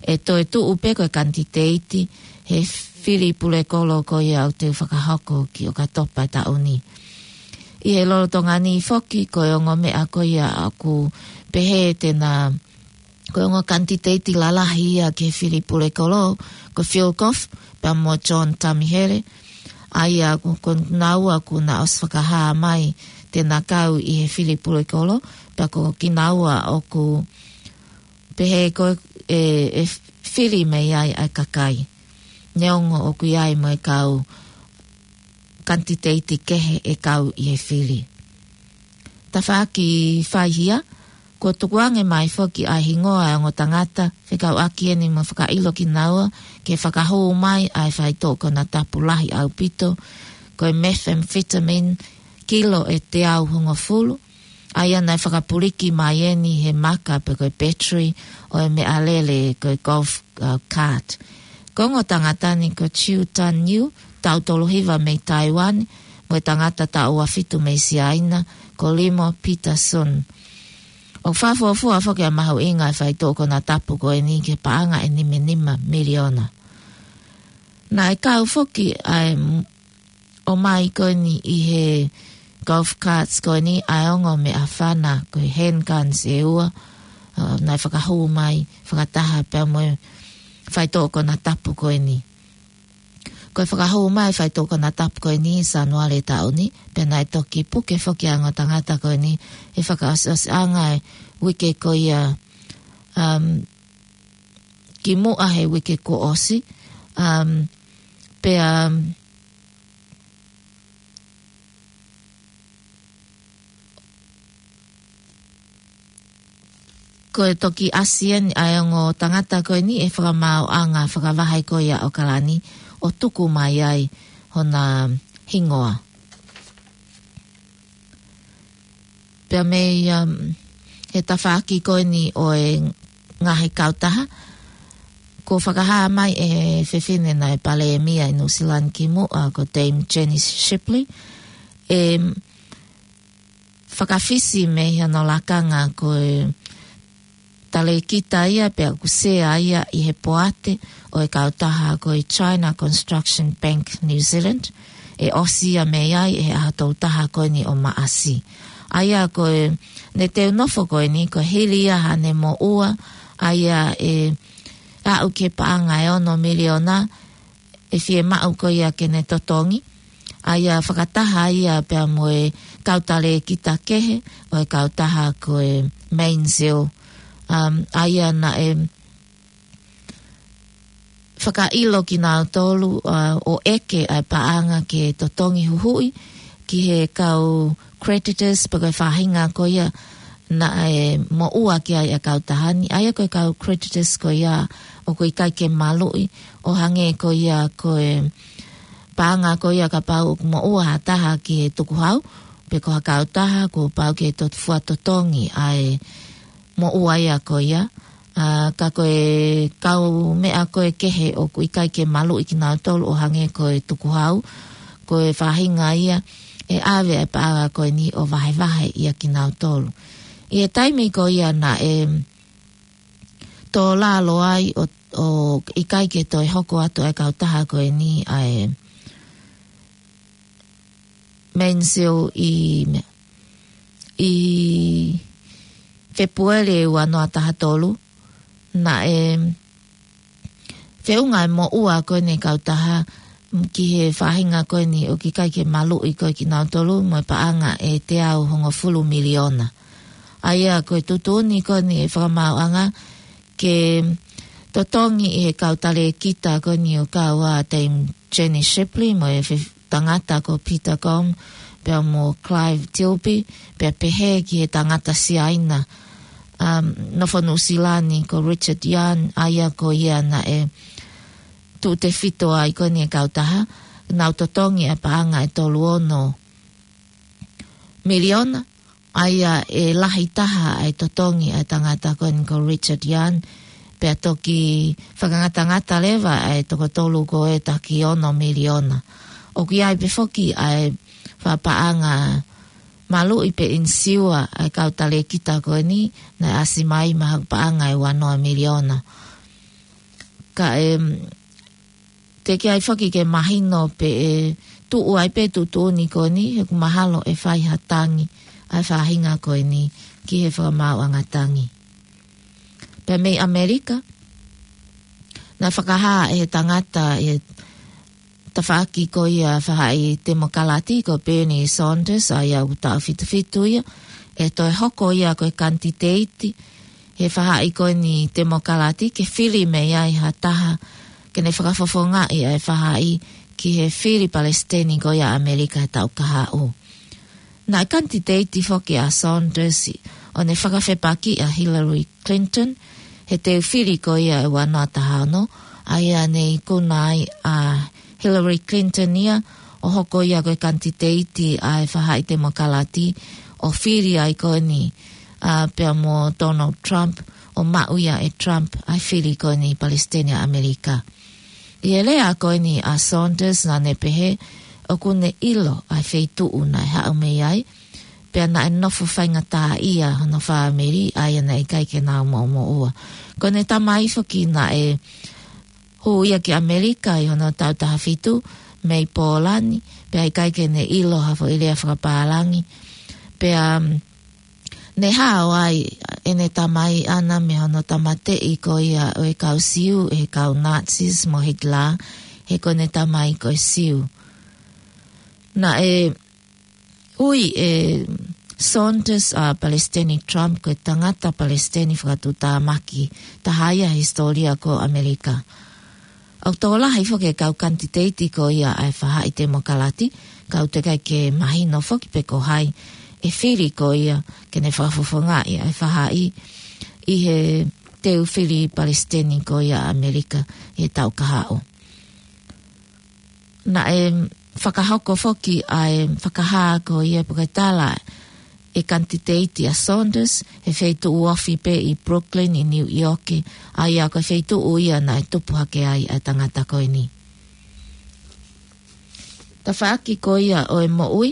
ʻe toe tuʻu pē ko e kanititeiti he fili pulekolo ko ia ʻoku teu fakahoko ki ʻOkatopa taʻu ni. ʻI he lolotonga ni foki ko e ongo meʻa ko ia ʻoku pehē te na, ko e ongo kanititeiti lalahi ia ki he fili pulekolo, ko Phil Goff, pea mo John Tamihere, ʻa ia ko, ko naua kuo na ʻosi fakahā mai te na kau ʻi he fili pulekolo, pea ko kinaua ʻoku pehē ko e, ʻe fili mei ai ʻa e kakai. Neongo ʻoku ʻi ai mo e kau kanititeiti kehe ʻe kau ʻi he fili. Tafaʻaki faihia, kuo tukuange mai foki ʻa e hingoa ʻo e ongo tangata, fekauʻaki eni mo e fakaʻilo kinaua ke fakahū mai ʻa e faitoʻo konatapu lahi ʻaupito, ko e methamphetamine kilo ʻe teau hongofulu, ʻa ia naʻe fakapuliki mai eni he maka pe ko e battery ʻo e meʻalele ko e golf, uh, cart. Ko e ongo tangata ni ko Chiu Tan Yu, taʻu tolu hiva mei Taiwan, mo e tangata taʻu ua fitu mei Siaina, ko Limo Peterson. ʻOku fakafuofua foki ʻa e mahuʻinga ʻo e faitoʻo konatapu ko eni ki he paʻanga ʻe nima nima miliona. Naʻe kau foki ʻa e m-, ʻomai ko eni ʻi he golf carts ko eni ʻa e ongo meʻafana ko e handguns ʻe ua, uh, naʻe fakahū mai fakataha pea mo e faitoʻo konatapu ko eni. Ko e fakahū mai e faitoʻo konatapu ko eni ʻi Sānuali taʻu ni, pea naʻe toki puke foki ʻa e ongo tangata ko eni he fakaʻosiʻosiʻanga e uike ko ia, um, kimuʻa he uike kuo ʻosi, um, pea, um, ko e toki ʻasi eni ʻa e ongo tangata ko eni ʻi he fakamaauʻanga fakavahe ko ia ʻo ʻOkalani ʻo tuku mai ai hona hingoa. Pea mei, um, he tafaʻaki ko eni ʻo e ngaahi kautaha, kuo fakahā mai ʻe he fefine naʻe palēmia ʻi Nuʻusila ni kimuʻa ko Dame Jenny Shipley, ʻe fakafisi mei hono lakanga ko e talēkita ia pea ʻoku sea ia ʻi he poate ʻo e kautaha ko e China Construction Bank New Zealand, ʻe ʻosi ia mei ai ʻi he ʻaho tolu taha ko eni ʻo Maʻasi. ʻA ia ko ʻene teu nofo ko eni, ko e hili ia haʻane moʻua, ʻa ia ʻe aʻu ki he paʻanga ʻe ono miliona, ʻe fiemaʻu ko ia ke ne totongi, ʻa ia fakataha ia pea mo e kau talēkita kehe ʻo e kautaha ko e Mainzeal, um, ʻa ia naʻe fakaʻilo kinautolu, uh, ʻo ʻeke ʻa e paʻanga ke totongi huhuʻi ki he kau creditors pe ko e faʻahinga ko ia naʻe moʻua ki ai ʻa e kautaha ni, ʻa ia ko e kau creditors ko ia ʻoku ʻikai ke maluʻi, ʻo hangē ko ia ko e paʻanga ko ia kapau ʻoku moʻua ha taha ki he tukuhau, pe ko ha kautaha kuo pau ke to-, fua totongi ʻa e moʻua ia ko ia. ʻA, ka ko e kau meʻa ko ē kehe ʻoku ʻikai ke maluʻi kinautolu ʻo hangē ko e tukuhau, ko e faʻahinga ia ʻe ʻave ʻa e paʻanga ko eni ʻo vahevahe ia kinautolu. ʻI he taimi ko ia naʻe tō lalo ai ʻo, ʻo ʻikai ke toe hoko atu ʻa e kautaha ko eni ʻa e Mainsail ʻi, ʻi Fepueli ua noa taha tolu, naʻe feʻunga e moʻua ko eni e kautaha ki he faʻahinga ko eni ʻoku ʻikai ke maluʻi ko ē kinautolu mo e paʻanga ʻe teau hongofulu miliona. ʻA ia ko e tuʻutuʻuni ko eni e fakamaauʻanga ke totongi ʻe he kau talēkita ko eni ʻoku kau ai Dame Jenny Shipley mo e fe-, tangata ko Peter Gong, pea mo Clive Tilby, pea pehē ki he tangata Siaina, um, nofo Nuʻusila ni ko Richard Young, ʻa ia ko ia naʻe tuʻutefito ai ko eni e kautaha, nau totongi ʻa e paʻanga ʻe tolu ono miliona, ʻa ia ʻe lahi taha ʻa e totongi ʻa e tangata ko eni ko Richard Young, pea toki fakangatangata leva ʻa e toko tolu ko ē taha ki ono miliona. ʻOku ʻi ai pē foki ʻa e fakapaʻanga maluʻi pe insiua ʻa e kau talēkita ko eni, naʻe ʻasi mai mo ha paʻanga ʻe ua noa miliona. Ka ʻe, teʻeki ai foki ke mahino pe ʻe tuʻu ai pē tuʻutuʻuni ko eni, he ʻoku mahalo ʻe fai ha tangi ʻa e faʻahinga ko eni ki he fakamaauʻanga tangi. Pea mei ʻAmelika, naʻe fakahā ʻe he tangata ʻi he tafaʻaki ko ia faʻahi temokalati ko Bernie Sanders, ʻa ia ʻoku taʻu fitu fitu ia, ʻe toe hoko ia ko e kanititeiti he faʻahi ko eni temokalati ke fili mei ai ha taha ke ne fakafofongaʻi ʻa e faʻahi ki he fili palesiteni ko ia ʻAmelika he taʻu kahaʻu. Naʻe kanititeiti foki ʻa Sanders ʻo ne fakafepakiʻi ʻa Hillary Clinton he teu fili ko ia ʻe ua noa taha ono, ʻa ia ne ikuna ai ʻa Hillary Clinton ia ʻo hoko ia ko e kanititeiti ʻa e faʻahi temokalati ʻo fili ai ko eni, ʻa, pea mo Donald Trump, ʻo maʻu ia ʻe Trump ʻa e fili ko eni palesiteni ʻa ʻAmelika. ʻI he lea ko eni ʻa Sanders naʻa ne pehē ʻoku ne ʻilo ʻa e feituʻu naʻe haʻu mei ai, pea naʻe nofo faingataʻaʻia hono fāmili, ʻa ia naʻe ʻikai ke nau moʻumoʻua. Ko ʻene tamai foki naʻe hū ia ki ʻAmelika ʻi hono taʻu taha fitu mei Pōlani, pea ʻikai ke ne ʻilo ha foʻi lea fakapālangi. Pea, um, ne hao ai ʻene tamai ʻana mei hono tāmateʻi ko ia ʻo e kau Siu ʻe he kau Nazis mo Hitler, he ko ʻene tamai ko e Siu. Naʻe ui ʻe Sanders ʻa Palesiteni Trump ko e tangata palesiteni fakatuʻutāmaki taha ia he hisitōlia ko ʻAmelika. ʻOku tokolahi foki e kau kanititeiti ko ia ʻa e faʻahi temokalati, ka ʻoku teʻeki ai ke mahino foki pe ko hai ʻe fili ko ia ke ne fakafofongaʻi ʻa e faʻahi ʻi he teu fili palesiteni ko ia ʻAmelika he taʻu kahaʻu. Naʻe fakahoko foki ʻa e fakahā ko ia pe ko e tala ʻe kanititeiti ʻa Sanders he feituʻu ofi pē ʻi Brooklyn ʻi New York, ʻa ia ko e feituʻu ia naʻe tupu hake ai ʻa e tangata ko eni. Tafaʻaki ko ia ʻo e moʻui,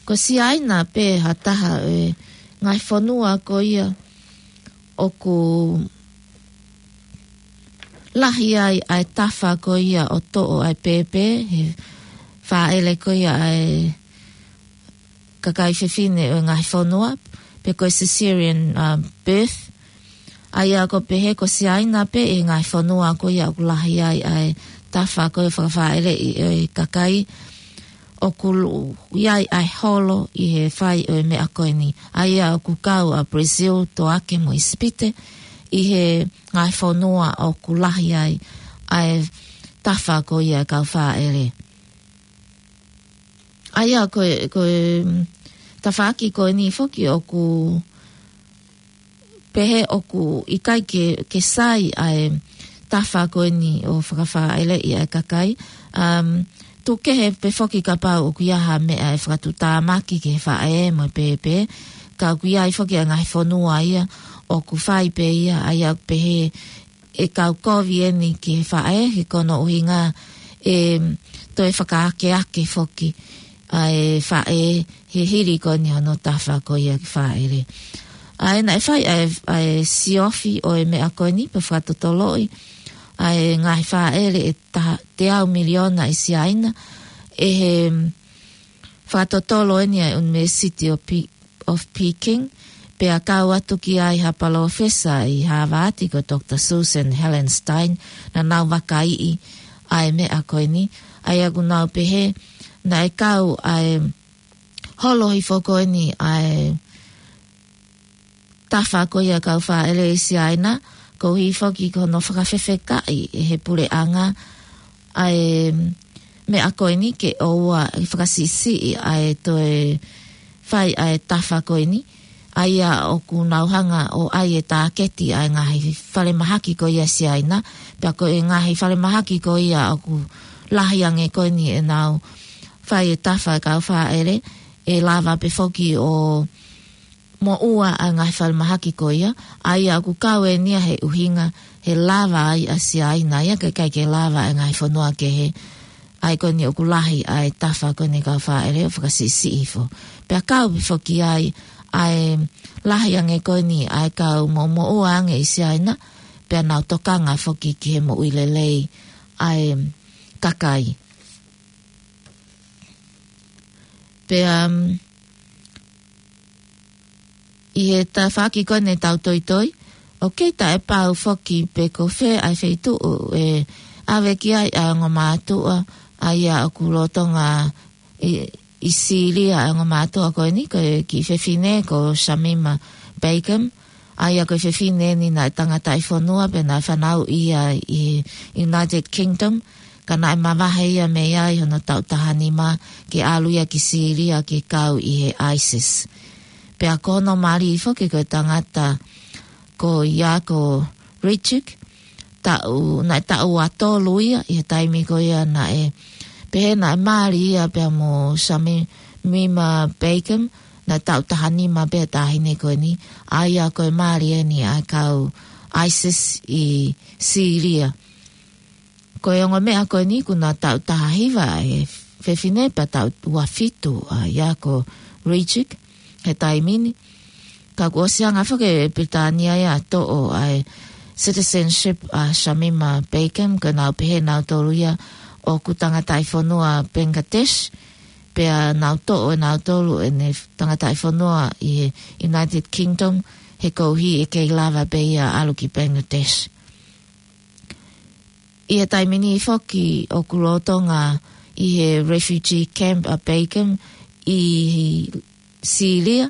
ko Siaina pē ha taha ʻo e ngaahi fonua ko ia ʻoku lahi ai ʻa e tafa ko ia ʻo toʻo ʻa e pēpē, he fāʻele ko ia ʻa e kakai fefine ʻo e ngaahi fonua, pe ko e cesarean, uh, birth. ʻA ia ʻoku pehē ko Siaina pē ʻi he ngaahi fonua ko ia ʻoku lahi ai ʻa e tafa ko ia fakafāʻeleʻi ʻo e kakai, ʻoku lu-, ʻi ai ʻa e holo ʻi he fai ʻo e meʻa ko eni. ʻA ia ʻoku kau ʻa Brazil, Toake mo ʻIsipite ʻi he ngaahi fonua ʻoku lahi ai ʻa e tafa ko ia kau fāʻele. ʻA ia ko e, ko e, mm, tafaʻaki ko eni foki ʻoku pehē ʻoku ʻikai ke, ke sai ʻa e tafa ko eni ʻo fakafāʻeleʻi ʻa e kakai. Um, tuku kehe pē foki kapau ʻoku ʻi ai ha meʻa ʻe fakatuʻutāmaki ki he faʻē mo e pēpē, ka ʻoku ʻi ai foki ʻa e ngaahi fonua ia ʻoku fai pē ia, ʻa ia ʻoku pehē ʻe kau kovi eni ki he faʻē, he ko hono ʻuhinga ʻe toe fakaakeake foki ʻa e faʻē he hili ko eni hono tafa ko ia ke fāʻele. ʻA ia naʻe fai ʻa e, ʻa e siofi ʻo e meʻa ko eni pea fakatotoloʻi ʻa e ngaahi fāʻele ʻe taha teau miliona ʻi Siaina ʻe he fakatotolo eni ʻa e University of Pe-, of Peking, pea kau atu ki ai ha palōfesa ʻi Hāvati ko Doctor Susan Hellenstein, naʻa nau vakaiʻi ʻa e meʻa ko eni, ʻa ia ʻoku nau pehē naʻe kau ʻa e holo hifo ko eni ʻa e tafa ko ia kau fāʻele ʻi Siaina, koeʻuhi foki ko hono fakafefekaʻi ʻe he puleʻanga ʻa e meʻa ko eni ke ʻoua ʻe fakasiʻisiʻi ʻa e toe fai ʻa e tafa ko eni, ʻa ia ʻoku nau hanga ʻo ʻai e tāketi ʻa e ngaahi falemahaki ko ia Siaina, pea ko e ngaahi falemahaki ko ia ʻoku lahi ange ko eni ʻenau fai e tafa e kau fāʻele, ʻe lava pē foki ʻo moʻua ʻa e ngaahi falemahaki ko ia, ʻa ia ʻoku kau eni ia he ʻuhinga he lava ai ʻa Siaina ia, kae ʻikai ke lava ʻa e ngaahi fonua kehe, ʻa ia ko eni ʻoku lahi ʻa e tafa ko eni kau fāʻele ʻo fakasiʻisiʻi hifo. Pea kau pē foki ai ʻa e lahi ange ko eni ʻa e kau moʻumoʻua ange ʻi Siaina, pea nau tokanga foki ki he moʻui lelei ʻa e kakai. Pea, um, ʻi he tafaʻaki ko eni tau toitoi, ʻoku kei taʻepau foki pe ko fē ʻa e feituʻu ʻe ʻave ki ai ʻa e ongo mātuʻa, ʻa ia ʻoku lolotonga ʻi, ʻi Sīlia ʻa e ongo mātuʻa ko eni, ko e kiʻi fefine ko Shamima Begum, ʻa ia ko e fefine eni naʻe tangataʻi fonua pea naʻe fanauʻi ia ʻi he United Kingdom, ka naʻe mavahe ia mei ai hono taʻu taha nima ke ʻalu ia ki Sīlia ke kau ʻi he ISIS. Pea ko hono mali foki ko e tangata ko Yako Ricic, taʻu, naʻe taʻu ua tolu ia ʻi he taimi ko ia naʻe, pehē naʻe mali ia pea mo Shamima Begum, naʻe taʻu taha nima pē taʻahine ko eni, ʻa ia ko e mali eni ʻa e kau ISIS ʻi Sīlia. Ko e ongo meʻa ko eni kuo na taʻu taha hiva ʻa e fefine pea taʻu ua fitu ʻa Yako Ricic he taimi ni. Ka kuo ʻosi hanga foki ʻe Pilitānia ia ʻo toʻo ʻa e citizenship ʻa Shamima Begum, ko ʻenau pehē nautolu ia ʻoku tangataʻi fonua Bangladesh, pea nau toʻo ʻe nautolu ʻene tangataʻi fonua ʻi he United Kingdom, he koeʻuhi ʻe kei lava pē ia ʻalu ki Bangladesh. ʻI he taimi ni foki ʻoku lolotonga ʻi he refugee camp ʻa Begum ʻi Sīlia,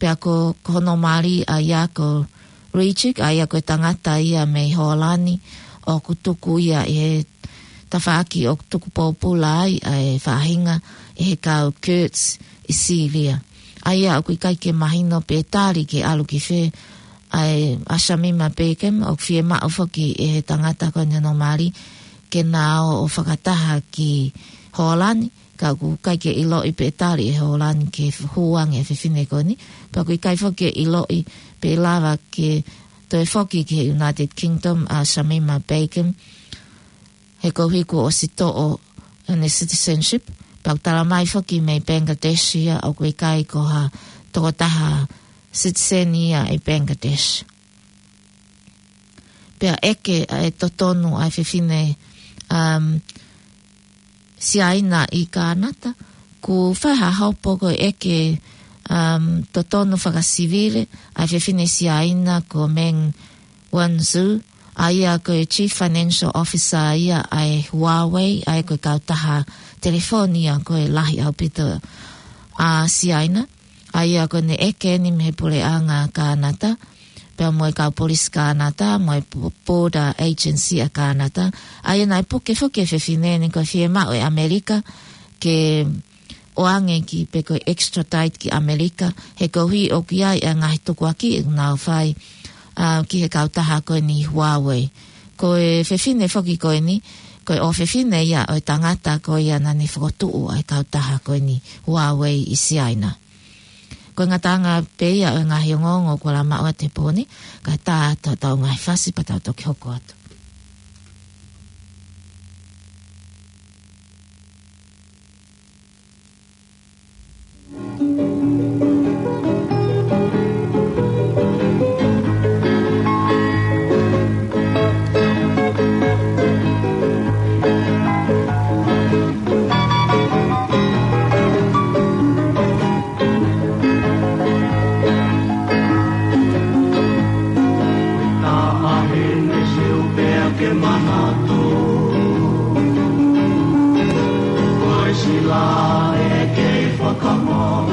pea ko, ko hono mali ʻa Yako Ricic, ʻa ia ko e tangata ia mei Hōlani, ʻoku tuku ia ʻi he tafaʻaki ʻoku tuku pōpula ai ʻa e faʻahinga ʻe he kau Kurds ʻi Sīlia. ʻA ia ʻoku ʻikai ke mahino pe tali ke ʻalu ki fē ʻa e, ʻa Shamima Begum, ʻoku fiemaʻu foki ʻe he tangata ko eni hono mali ke na ō ʻo fakataha ki Hōlani, ka ʻoku ʻikai ke ʻiloʻi pe tali ʻe Hōlani ke hū ange e fefine ko eni, pea ʻoku ʻikai foki ke ʻiloʻi pe lava ke toe foki ki he United Kingdom ʻa Shamima Begum, he koeʻuhi kuo ʻosi toʻo ʻene citizenship, pea ʻoku tala mai foki mei Bangladesh ia ʻoku ʻikai ko ha tokotaha citizen ia ʻi Bangladesh. Pea ʻeke ʻa e totonu ʻa e fefine, um, Siaina ʻi Kānata, kuo fai ha hopo ko e ʻeke, um, totonu fakasivile ʻa e fefine Siaina ko Meng Wanzhou, ʻa ia ko e Chief Financial Officer ia ʻa e Huawei, ʻa ia ko e kautaha telefoni ia ko e lahi ʻaupito ʻa Siaina, ʻa ia ko ʻene ʻeke eni mei he puleʻanga Kānata, pea mo e kau polisi Kānata, mo e Bo-, Border Agency ʻa Kānata, ʻa ia naʻe puke foki e fefine ni ko e fiemaʻu ʻe ʻAmelika ke ʻoange ki pe ko e extradite ki ʻAmelika, he koeʻuhi ʻoku ʻi ai e ngaahi tukuakiʻi ʻoku nau fai, ʻa, ki he kautaha ko eni Huawei. Ko e fefine foki ko eni, ko e ʻofefine ia ʻo e tangata ko ia naʻa ne fokotuʻu ʻa e kautaha ko eni Huawei ʻi Siaina. Ko e ngataʻanga pē ia ʻo e ngaahi ongoongo kuo lava maʻu atu he pō ni, kae ʻatā atu haʻatau ngaahi fasi pea tau toki hoko atu. Taʻahine siu pea ke manatu. Ko e sila ʻe kei fakamau.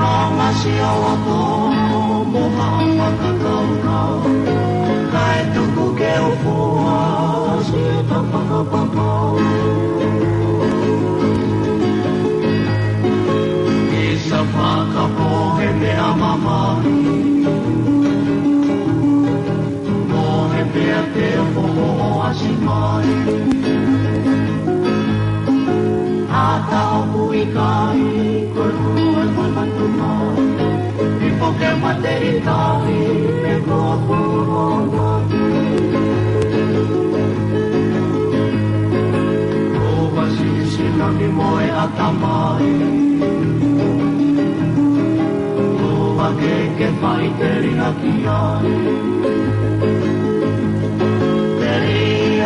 Nonga sio ako mo haʻa fakakaukau. Kae tuku ke u fua si ta fakapapau. ʻI sa fakapohe meʻa mamahi. Mohe pea te foho ʻo ʻasi mai. ʻAta ʻoku ʻikai, ko e kulu e manatu mai. ʻI poke mate ʻikai, me ko puronga. Ko vasi sinami mo e ʻatamai. Ko vake ke fai telinga ki ai. Peri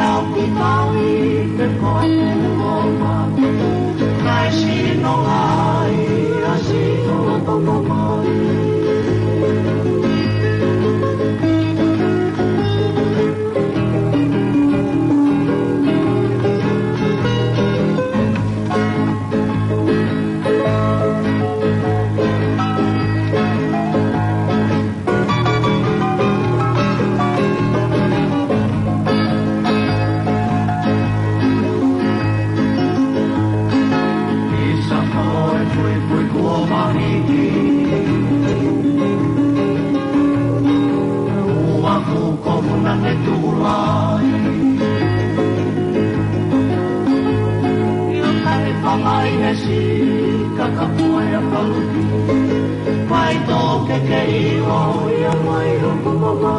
au ki tai, pe ko e ngoma. Kai sino ai, a sino a toko mai. ʻI sa ko e puipui kuo mahiki. Ua fuko muna ne tuʻu lai. ʻIo kai fangai he si kakapua e paluki. Mai tō ke ke ʻio ia mai o kumama.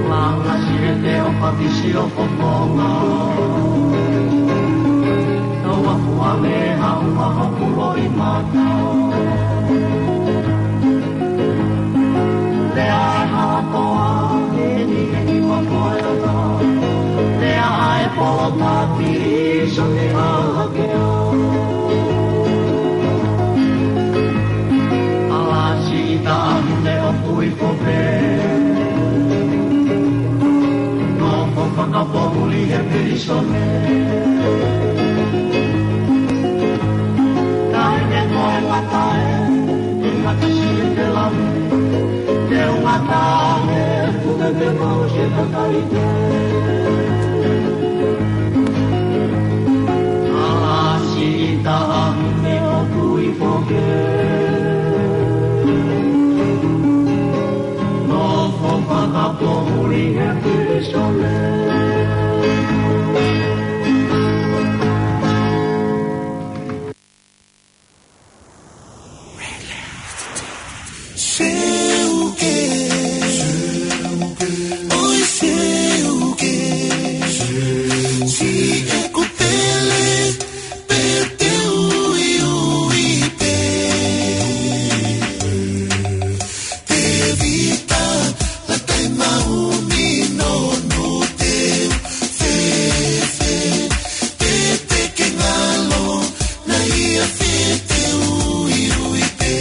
Langa sirete o pakisi o kokonga. Tau aku ame hau maha kulo i mata. Lea e halakoa, eni, eni, makoe ata. Lea ai polo tati, so te ahake. Ala si ita ahune o kui kope. Nofo fakapohuli he pilisone. Tae ne koe matae, e mata si e te lave. Te u matae, kuke ke mau se kakai te. Ala si ita ahune o kui kope. Nofo fakapohuli he pilisone. Seuke. Oi seuke. Si e kutele. Pe te ui ui pe. Tevita, la tai mauni no no te fefe. Te te ke ngalo, na ia fe te ui ui pe.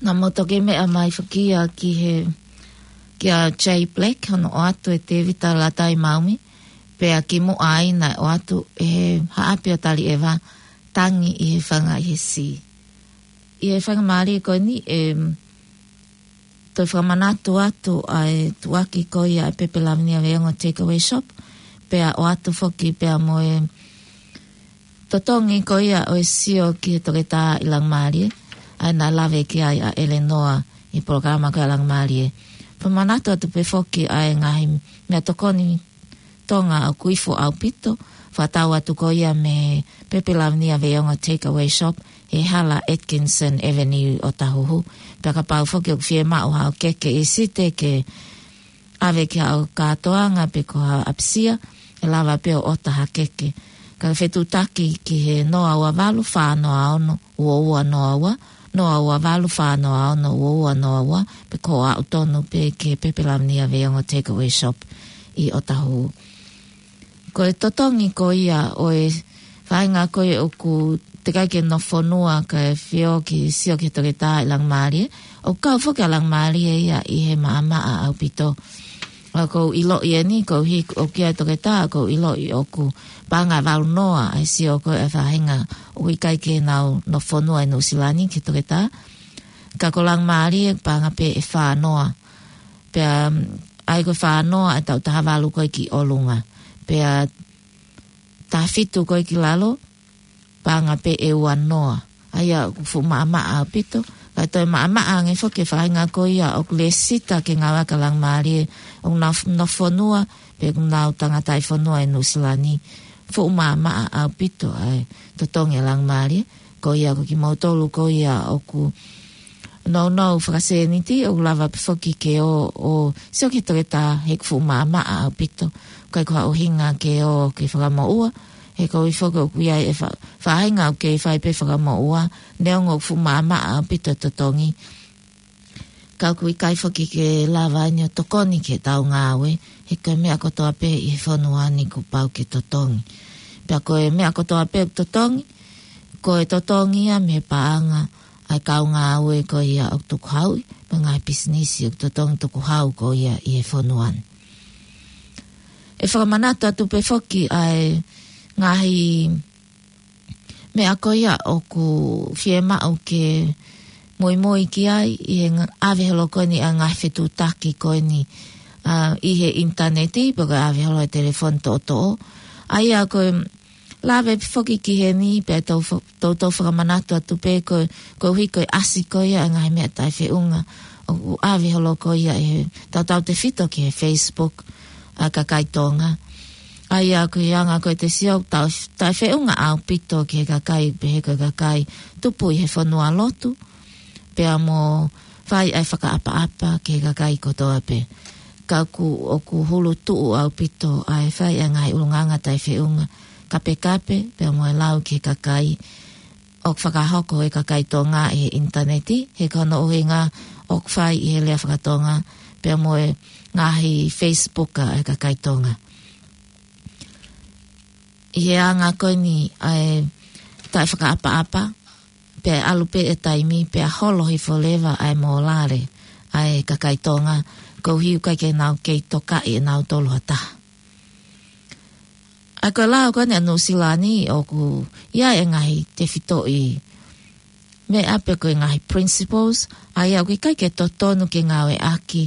Naʻa mou toki meʻa mai foki ia ki he, kia Jay Black, hono ʻoatu ʻe Tēvita Latai Maumi, pea kimuʻa ai naʻe ʻoatu ʻe he haʻapi ʻo Taliʻeva, Tangi ʻi he Fanga ʻi he Sī. ʻI he faingamālie ko eni, ʻe toe fakamanatu atu ʻa e tuʻuaki ko ia ʻa e Pepe Lavinia Veiongo Takeaway Shop, pea ʻoatu foki pea mo e totongi ko ia ʻo e sio ki he toketā ʻi Langimālie, ʻa ia naʻe lave ki ai ʻa ʻElenoa ʻi he polokalama ko ia ʻa Langimālie. Fakamanatu atu pē foki ʻa e ngaahi meʻatokoni Tonga ʻoku ifo ʻaupito, fakatau atu ko ia mei he Pepe Lavinia Veiongo Takeaway Shop, he hala Atkinson Avenue ʻi ʻŌtāhuhu. Pea kapau foki ʻoku fiemaʻu haʻo keke ʻi Site ke ʻave ki haʻo kātoanga pe ko haʻo ʻapisia, ʻe lava pē ʻo ʻota ha keke. Ka ke fetuʻutaki ki he noa ua valu fā noa ono ua ua noa ua, noa ua valu fā noa ono ua ua noa ua, pe ko e aʻu tonu pē ki he Pepe Lavinia Veiongo Takeaway Shop ʻi ʻŌtāhuhu. Ko e totongi ko ia ʻo e faʻahinga ko ia ʻoku teʻeki ai ke nofo fonua kae fio ki he sio ki he toketā ʻi Langimālie, ʻoku kau foki ʻa Langimālie ia ʻi he maʻamaʻa ʻaupito. ʻA ia ʻoku ou ʻiloʻi eni, koeʻuhi ʻoku ʻi ai e toketā, ʻoku ou ʻiloʻi ʻoku paʻanga ʻe valu noa ʻa e sio ko ia ʻa e faʻahinga ʻoku ʻikai ke nau nofo fonua ʻi Nuʻusila ni ki he toketā. Ka ko Langimālie paʻanga pē ʻe fā noa. Pea, ʻa ia ko e fā noa ʻa e taʻu taha valu ko ē ki ʻolunga. Pea taha fitu ko ē ki lalo, paʻanga pē ʻe ua noa. ʻA ia ʻoku fuʻu maʻamaʻa ʻaupito. Kae toe maʻamaʻa ange foki e faʻahinga ko ia ʻoku lēsisita ke ngāueʻaki ʻa Langimālie, ʻoku nau f-, nofo fonua, pe ʻoku nau tangataʻi fonua ʻi Nuʻusila ni. Fuʻu maʻamaʻa ʻaupito ʻa e totongi ʻa Langimālie. Ko ia ko kimoutolu ko ia ʻoku nounou fakasēniti, ʻoku lava pē foki ke ō ʻo sio ki he toketā, he ʻoku fuʻu maʻamaʻa ʻaupito. ʻIkai ko ha ʻuhinga ke ō ke fakamoʻua, he koeʻuhi foki ʻoku ʻi ai e fa-, faʻahinga ʻoku kei fai pē fakamoʻua, neongo ʻoku fuʻu maʻamaʻa ʻaupito e totongi. Ka ʻoku ʻikai foki ke lava eni ʻo tokoni ki heʻetau ngāue, he ko e meʻa kotoa pē ʻi he fonua ni kuo pau ke totongi. Pea ko e meʻa kotoa pē ʻoku totongi, ko e totongi ia mei he paʻanga ʻa e kau ngāue ko ia ʻoku tukuhauʻi, mo e ngaahi pisinisi ʻoku totongi tukuhau ko ia ʻi he fonua ni. ʻE fakamanatu atu pē foki ʻa e ngaahi meʻa ko ia ʻoku fiemaʻu ke muimui ki ai ʻi he nga-, ʻave holo ko eni ʻa e ngaahi fetuʻutaki ko eni, ʻa, ʻi he ʻinitaneti, pe ko e ʻave holo e telefoni toʻotoʻo. ʻA ia ko e lave pē foki ki heni, pea tau fo-, tau, tau fakamanatu atu pē ko, koeʻuhi ko e ʻasi ko ia ʻa e ngaahi meʻa taʻefeʻunga, ʻoku ʻave holo ko ia ʻe he tautautefito ki he Facebook ʻa e kakai Tonga. ʻA ia ko e anga ko ē te sio tau, taʻefeʻunga ʻaupito ki he kakai, pehē ko e kakai tupu ʻi he fonua lotu, pea mo fai ʻa e fakaʻapaʻapa ki he kakai kotoa pē. Ka ʻoku, ʻoku hulu tuʻu ʻaupito ʻa e fai ʻa e ngaahi ʻulungaanga taʻefeʻunga, kapekape, pea mo e lau ki he kakai, ʻoku fakahoko ʻe he kakai Tonga ʻi he ʻinitaneti, he ko hono ʻuhinga ʻoku fai ʻi he lea faka-Tonga, pea mo e ngaahi Facebook ʻa e kakai Tonga. ʻI he anga ko eni ʻa e taʻefakaʻapaʻapa, pea ʻalu pē e taimi, pea holo hifo leva ʻa e mōlale ʻa e kakai Tonga, koeʻuhi ʻoku ʻikai ke nau kei tokaʻi ʻe nautolu ha taha. ʻA ia ko e lao ko eni ʻa Nuʻusila ni ʻoku ʻi ai e ngaahi tefitoʻi meʻa pe ko e ngaahi principles, ʻa ia ʻoku ʻikai ke totonu ke ngāueʻaki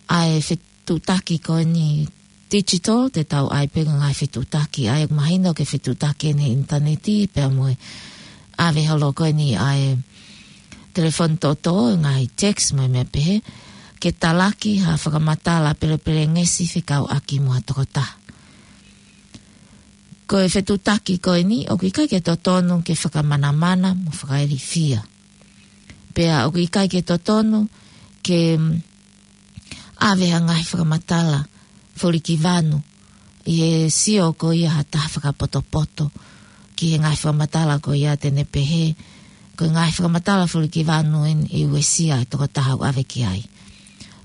ʻa e fetuʻutaki ko eni digital, te tau ʻai pē ngaahi fetuʻutaki, ʻa ia ʻoku mahino ko e fetuʻutaki eni ʻinitaneti, pea mo e ʻave holo ko eni ʻa e telefoni toʻotoʻo, ngaahi text mo e meʻa pehē, ke talaki ha fakamatala pelepelengesi fekauʻaki mo ha tokotaha. Ko e fetuʻutaki ko eni, ʻoku ʻikai ke totonu ke fakamanamana mo fakailifia. Pea ʻoku ʻikai ke totonu ke, mm, ʻave ha ngaahi fakamatala folikivanu ʻi he sio ko ia ha taha fakapotopoto ki he ngaahi fakamatala ko ia te ne pehē, ko e ngaahi fakamatala folikivanu eni ʻe uesia e tokotaha ʻoku ʻave ki ai.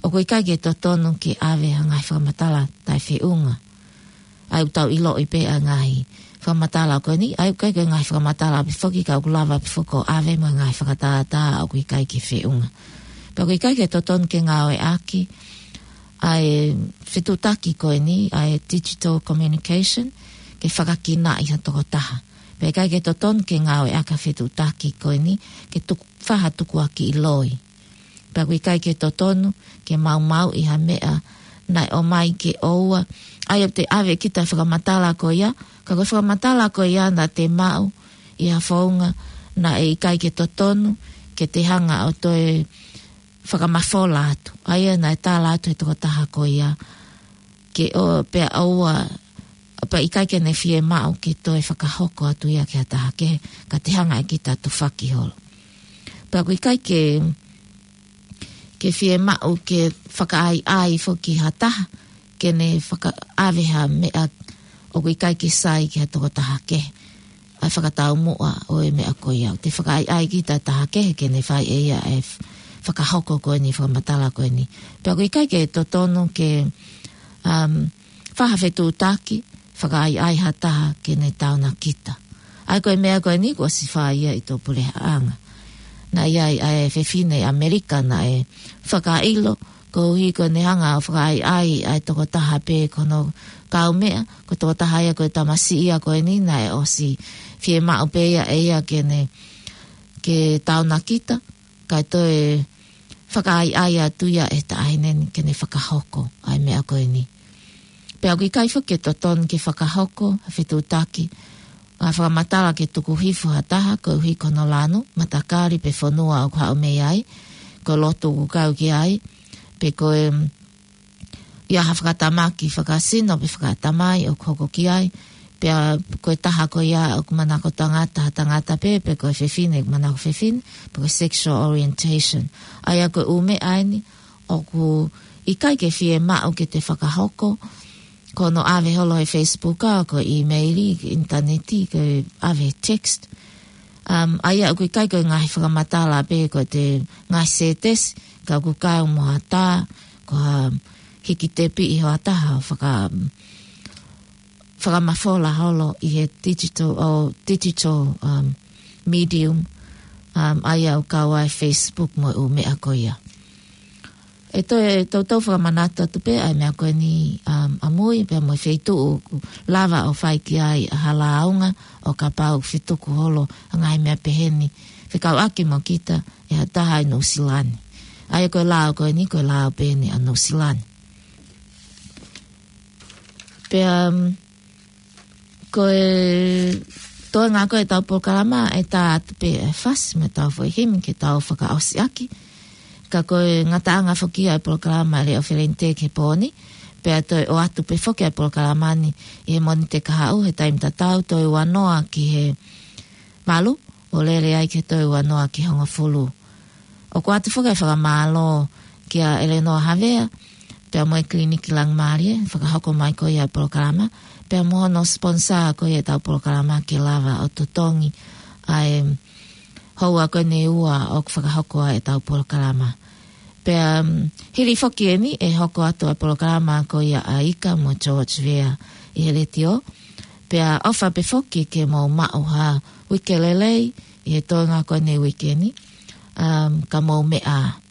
ʻOku ʻikai ke totonu ke ʻave ha ngaahi fakamatala taʻefeʻunga. ʻA ia ʻoku tau ʻiloʻi pē ʻa e ngaahi fakamatala ko eni, ʻa ia ʻoku ʻikai ko e ngaahi fakamatala pē foki ka ʻoku lava pē foki ʻo ʻave mo e ngaahi fakatātā ʻoku ʻikai ke feʻunga. Pea ʻoku ʻikai ke totonu ke ngāueʻaki ʻa e fetuʻutaki ko eni, ʻa e digital communication, ke fakakinaʻi ha tokotaha. Pea ʻikai ke totonu ke ngāueʻaki ʻa e fetuʻutaki ko eni, ke tuku, fai ha tukuakiʻi loi. Pea ʻoku ʻikai ke totonu ke maumauʻi ha meʻa naʻe ʻomai ke ʻoua. ʻA ia ʻoku te ʻave kita fakamatala ko ia, ka ko e fakamatala ko ia naʻa te maʻu ʻi ha founga naʻe ʻikai ke totonu ke te hanga ʻo toe fakamafola atu. ʻA ia naʻe tala atu he tokotaha ko ia ke ʻo, pea ʻoua, pea ʻikai ke ne fiemaʻu ke toe fakahoko atu ia ki ha taha kehe, ka te hanga ʻe kita ʻo tufaki holo. Pea ʻoku ʻikai ke, ke fiemaʻu ke fakaʻaiʻai foki ha taha, ke ne fakaʻave ha meʻa ʻoku ʻikai ke sai ki ha tokotaha kehe. ʻA e fakataumuʻa ʻo e meʻa ko ia. Te fakaʻaiʻai kita taha kehe ke ne fai ʻe ia e f-, fakahoko ko eni, fakamatala ko eni. Pea ʻoku ʻikai ke totonu ke, um, fai ha fetuʻutaki, fakaʻaiʻai ha taha ke ne taonakita. ʻA ia ko e meʻa ko eni kuo ʻosi fai ia ʻi tō puleʻanga. Naʻe ʻi ai ʻa e fefine ʻAmelika naʻe fakaʻilo, koeʻuhi ko ʻene hanga ʻo fakaʻaiʻai ʻa e tokotaha pē ko hono kaumeʻa, ko e tokotaha ia ko e tamasiʻi ia ko eni naʻe ʻosi fiemaʻu pē ia ʻe ia ke ne, ke taonakita, kae toe fakaʻaiʻai atu ia ʻe he taʻahine ni ke ne fakahoko ʻa e meʻa ko eni. Pea ʻoku ʻikai foki ke totonu ke fakahoko ha fetuʻutaki, ʻa e fakamatala ke tuku hifo ha taha, koeʻuhi ko hono lanu, matakali pe fonua ʻoku haʻu mei ai, ko e lotu ʻoku kau ki ai, pe ko e, mm, ʻi ai ha fakatamaki fakasino pe fakatamai ʻoku hoko ki ai, pea ko e taha ko ia ʻoku manako tangata, ha tangata pē, pe ko e fefine ʻoku manako fefine, pe ko e sexual orientation. ʻA ia ko e ʻū meʻa eni ʻoku ʻikai ke fiemaʻu ke te fakahoko, ko hono ʻave holo he Facebook, ʻa, ko e email, ko e ʻinitaneti, ko e ʻave text. Um, ʻa ia ʻoku ʻikai ko e ngaahi fakamatala pē ko e ngaahi sētesi, ka ʻoku kau mo ha tā, ko ha hiki tepi ʻi hoʻatā ʻo faka-, fakamafola holo ʻi he digital, ʻo digital, um, medium, um, ʻa ia ʻoku kau ai Facebook mo e ʻū meʻa ko ia. ʻE toe, toutou fakamanatu atu pē ʻa e meʻa ko eni, um, ʻamui, pea mo e feituʻu ʻoku lava ʻo fai ki ai ʻa ha lāunga ʻo kapau ʻoku fetuku holo ʻa e ngaahi meʻa pehē ni. Fekauʻaki mo kita ʻe ha taha ʻi Nuʻusila ni. ʻA ia ko e lao ko eni, ko e lao pē eni ʻa Nuʻusila ni. Pea, um, ko e toenga ko ē ʻetau polokalama ʻe tā atu pē ʻa e fasi mo ʻetau foʻi himi ke tau fakaʻosi ʻaki. Ka ko e ngataʻanga foki ʻa e polokalama Leʻo Felente ki he pō ni. Pea toe ʻoatu pē foki ʻa e polokalama ni ʻi he Mōnite kahaʻu he taimi tatau toe ua noa ki he valu, ʻo lele ai ki he toe ua noa ki he hongofulu. ʻOku ʻoatu foki ʻa e fakamālō kia ʻElenoa Havea, pea mo e Kiliniki Langimālie, fakahoko mai ko ia ʻa e polokalama, pea mo hono sponsor ko ia ʻetau polokalama ke lava ʻo totongi ʻa e houa ko eni ʻe ua ʻoku fakahoko ai ʻetau polokalama. Pea, um, hili foki eni ʻe hoko atu ʻa e polokalama ko ia ʻa Ika mo George Vea ʻi he letiō. Pea ʻofa pē foki ke mou maʻu ha uike lelei ʻi he toenga ko eni uike ni, um, ka mou meʻa.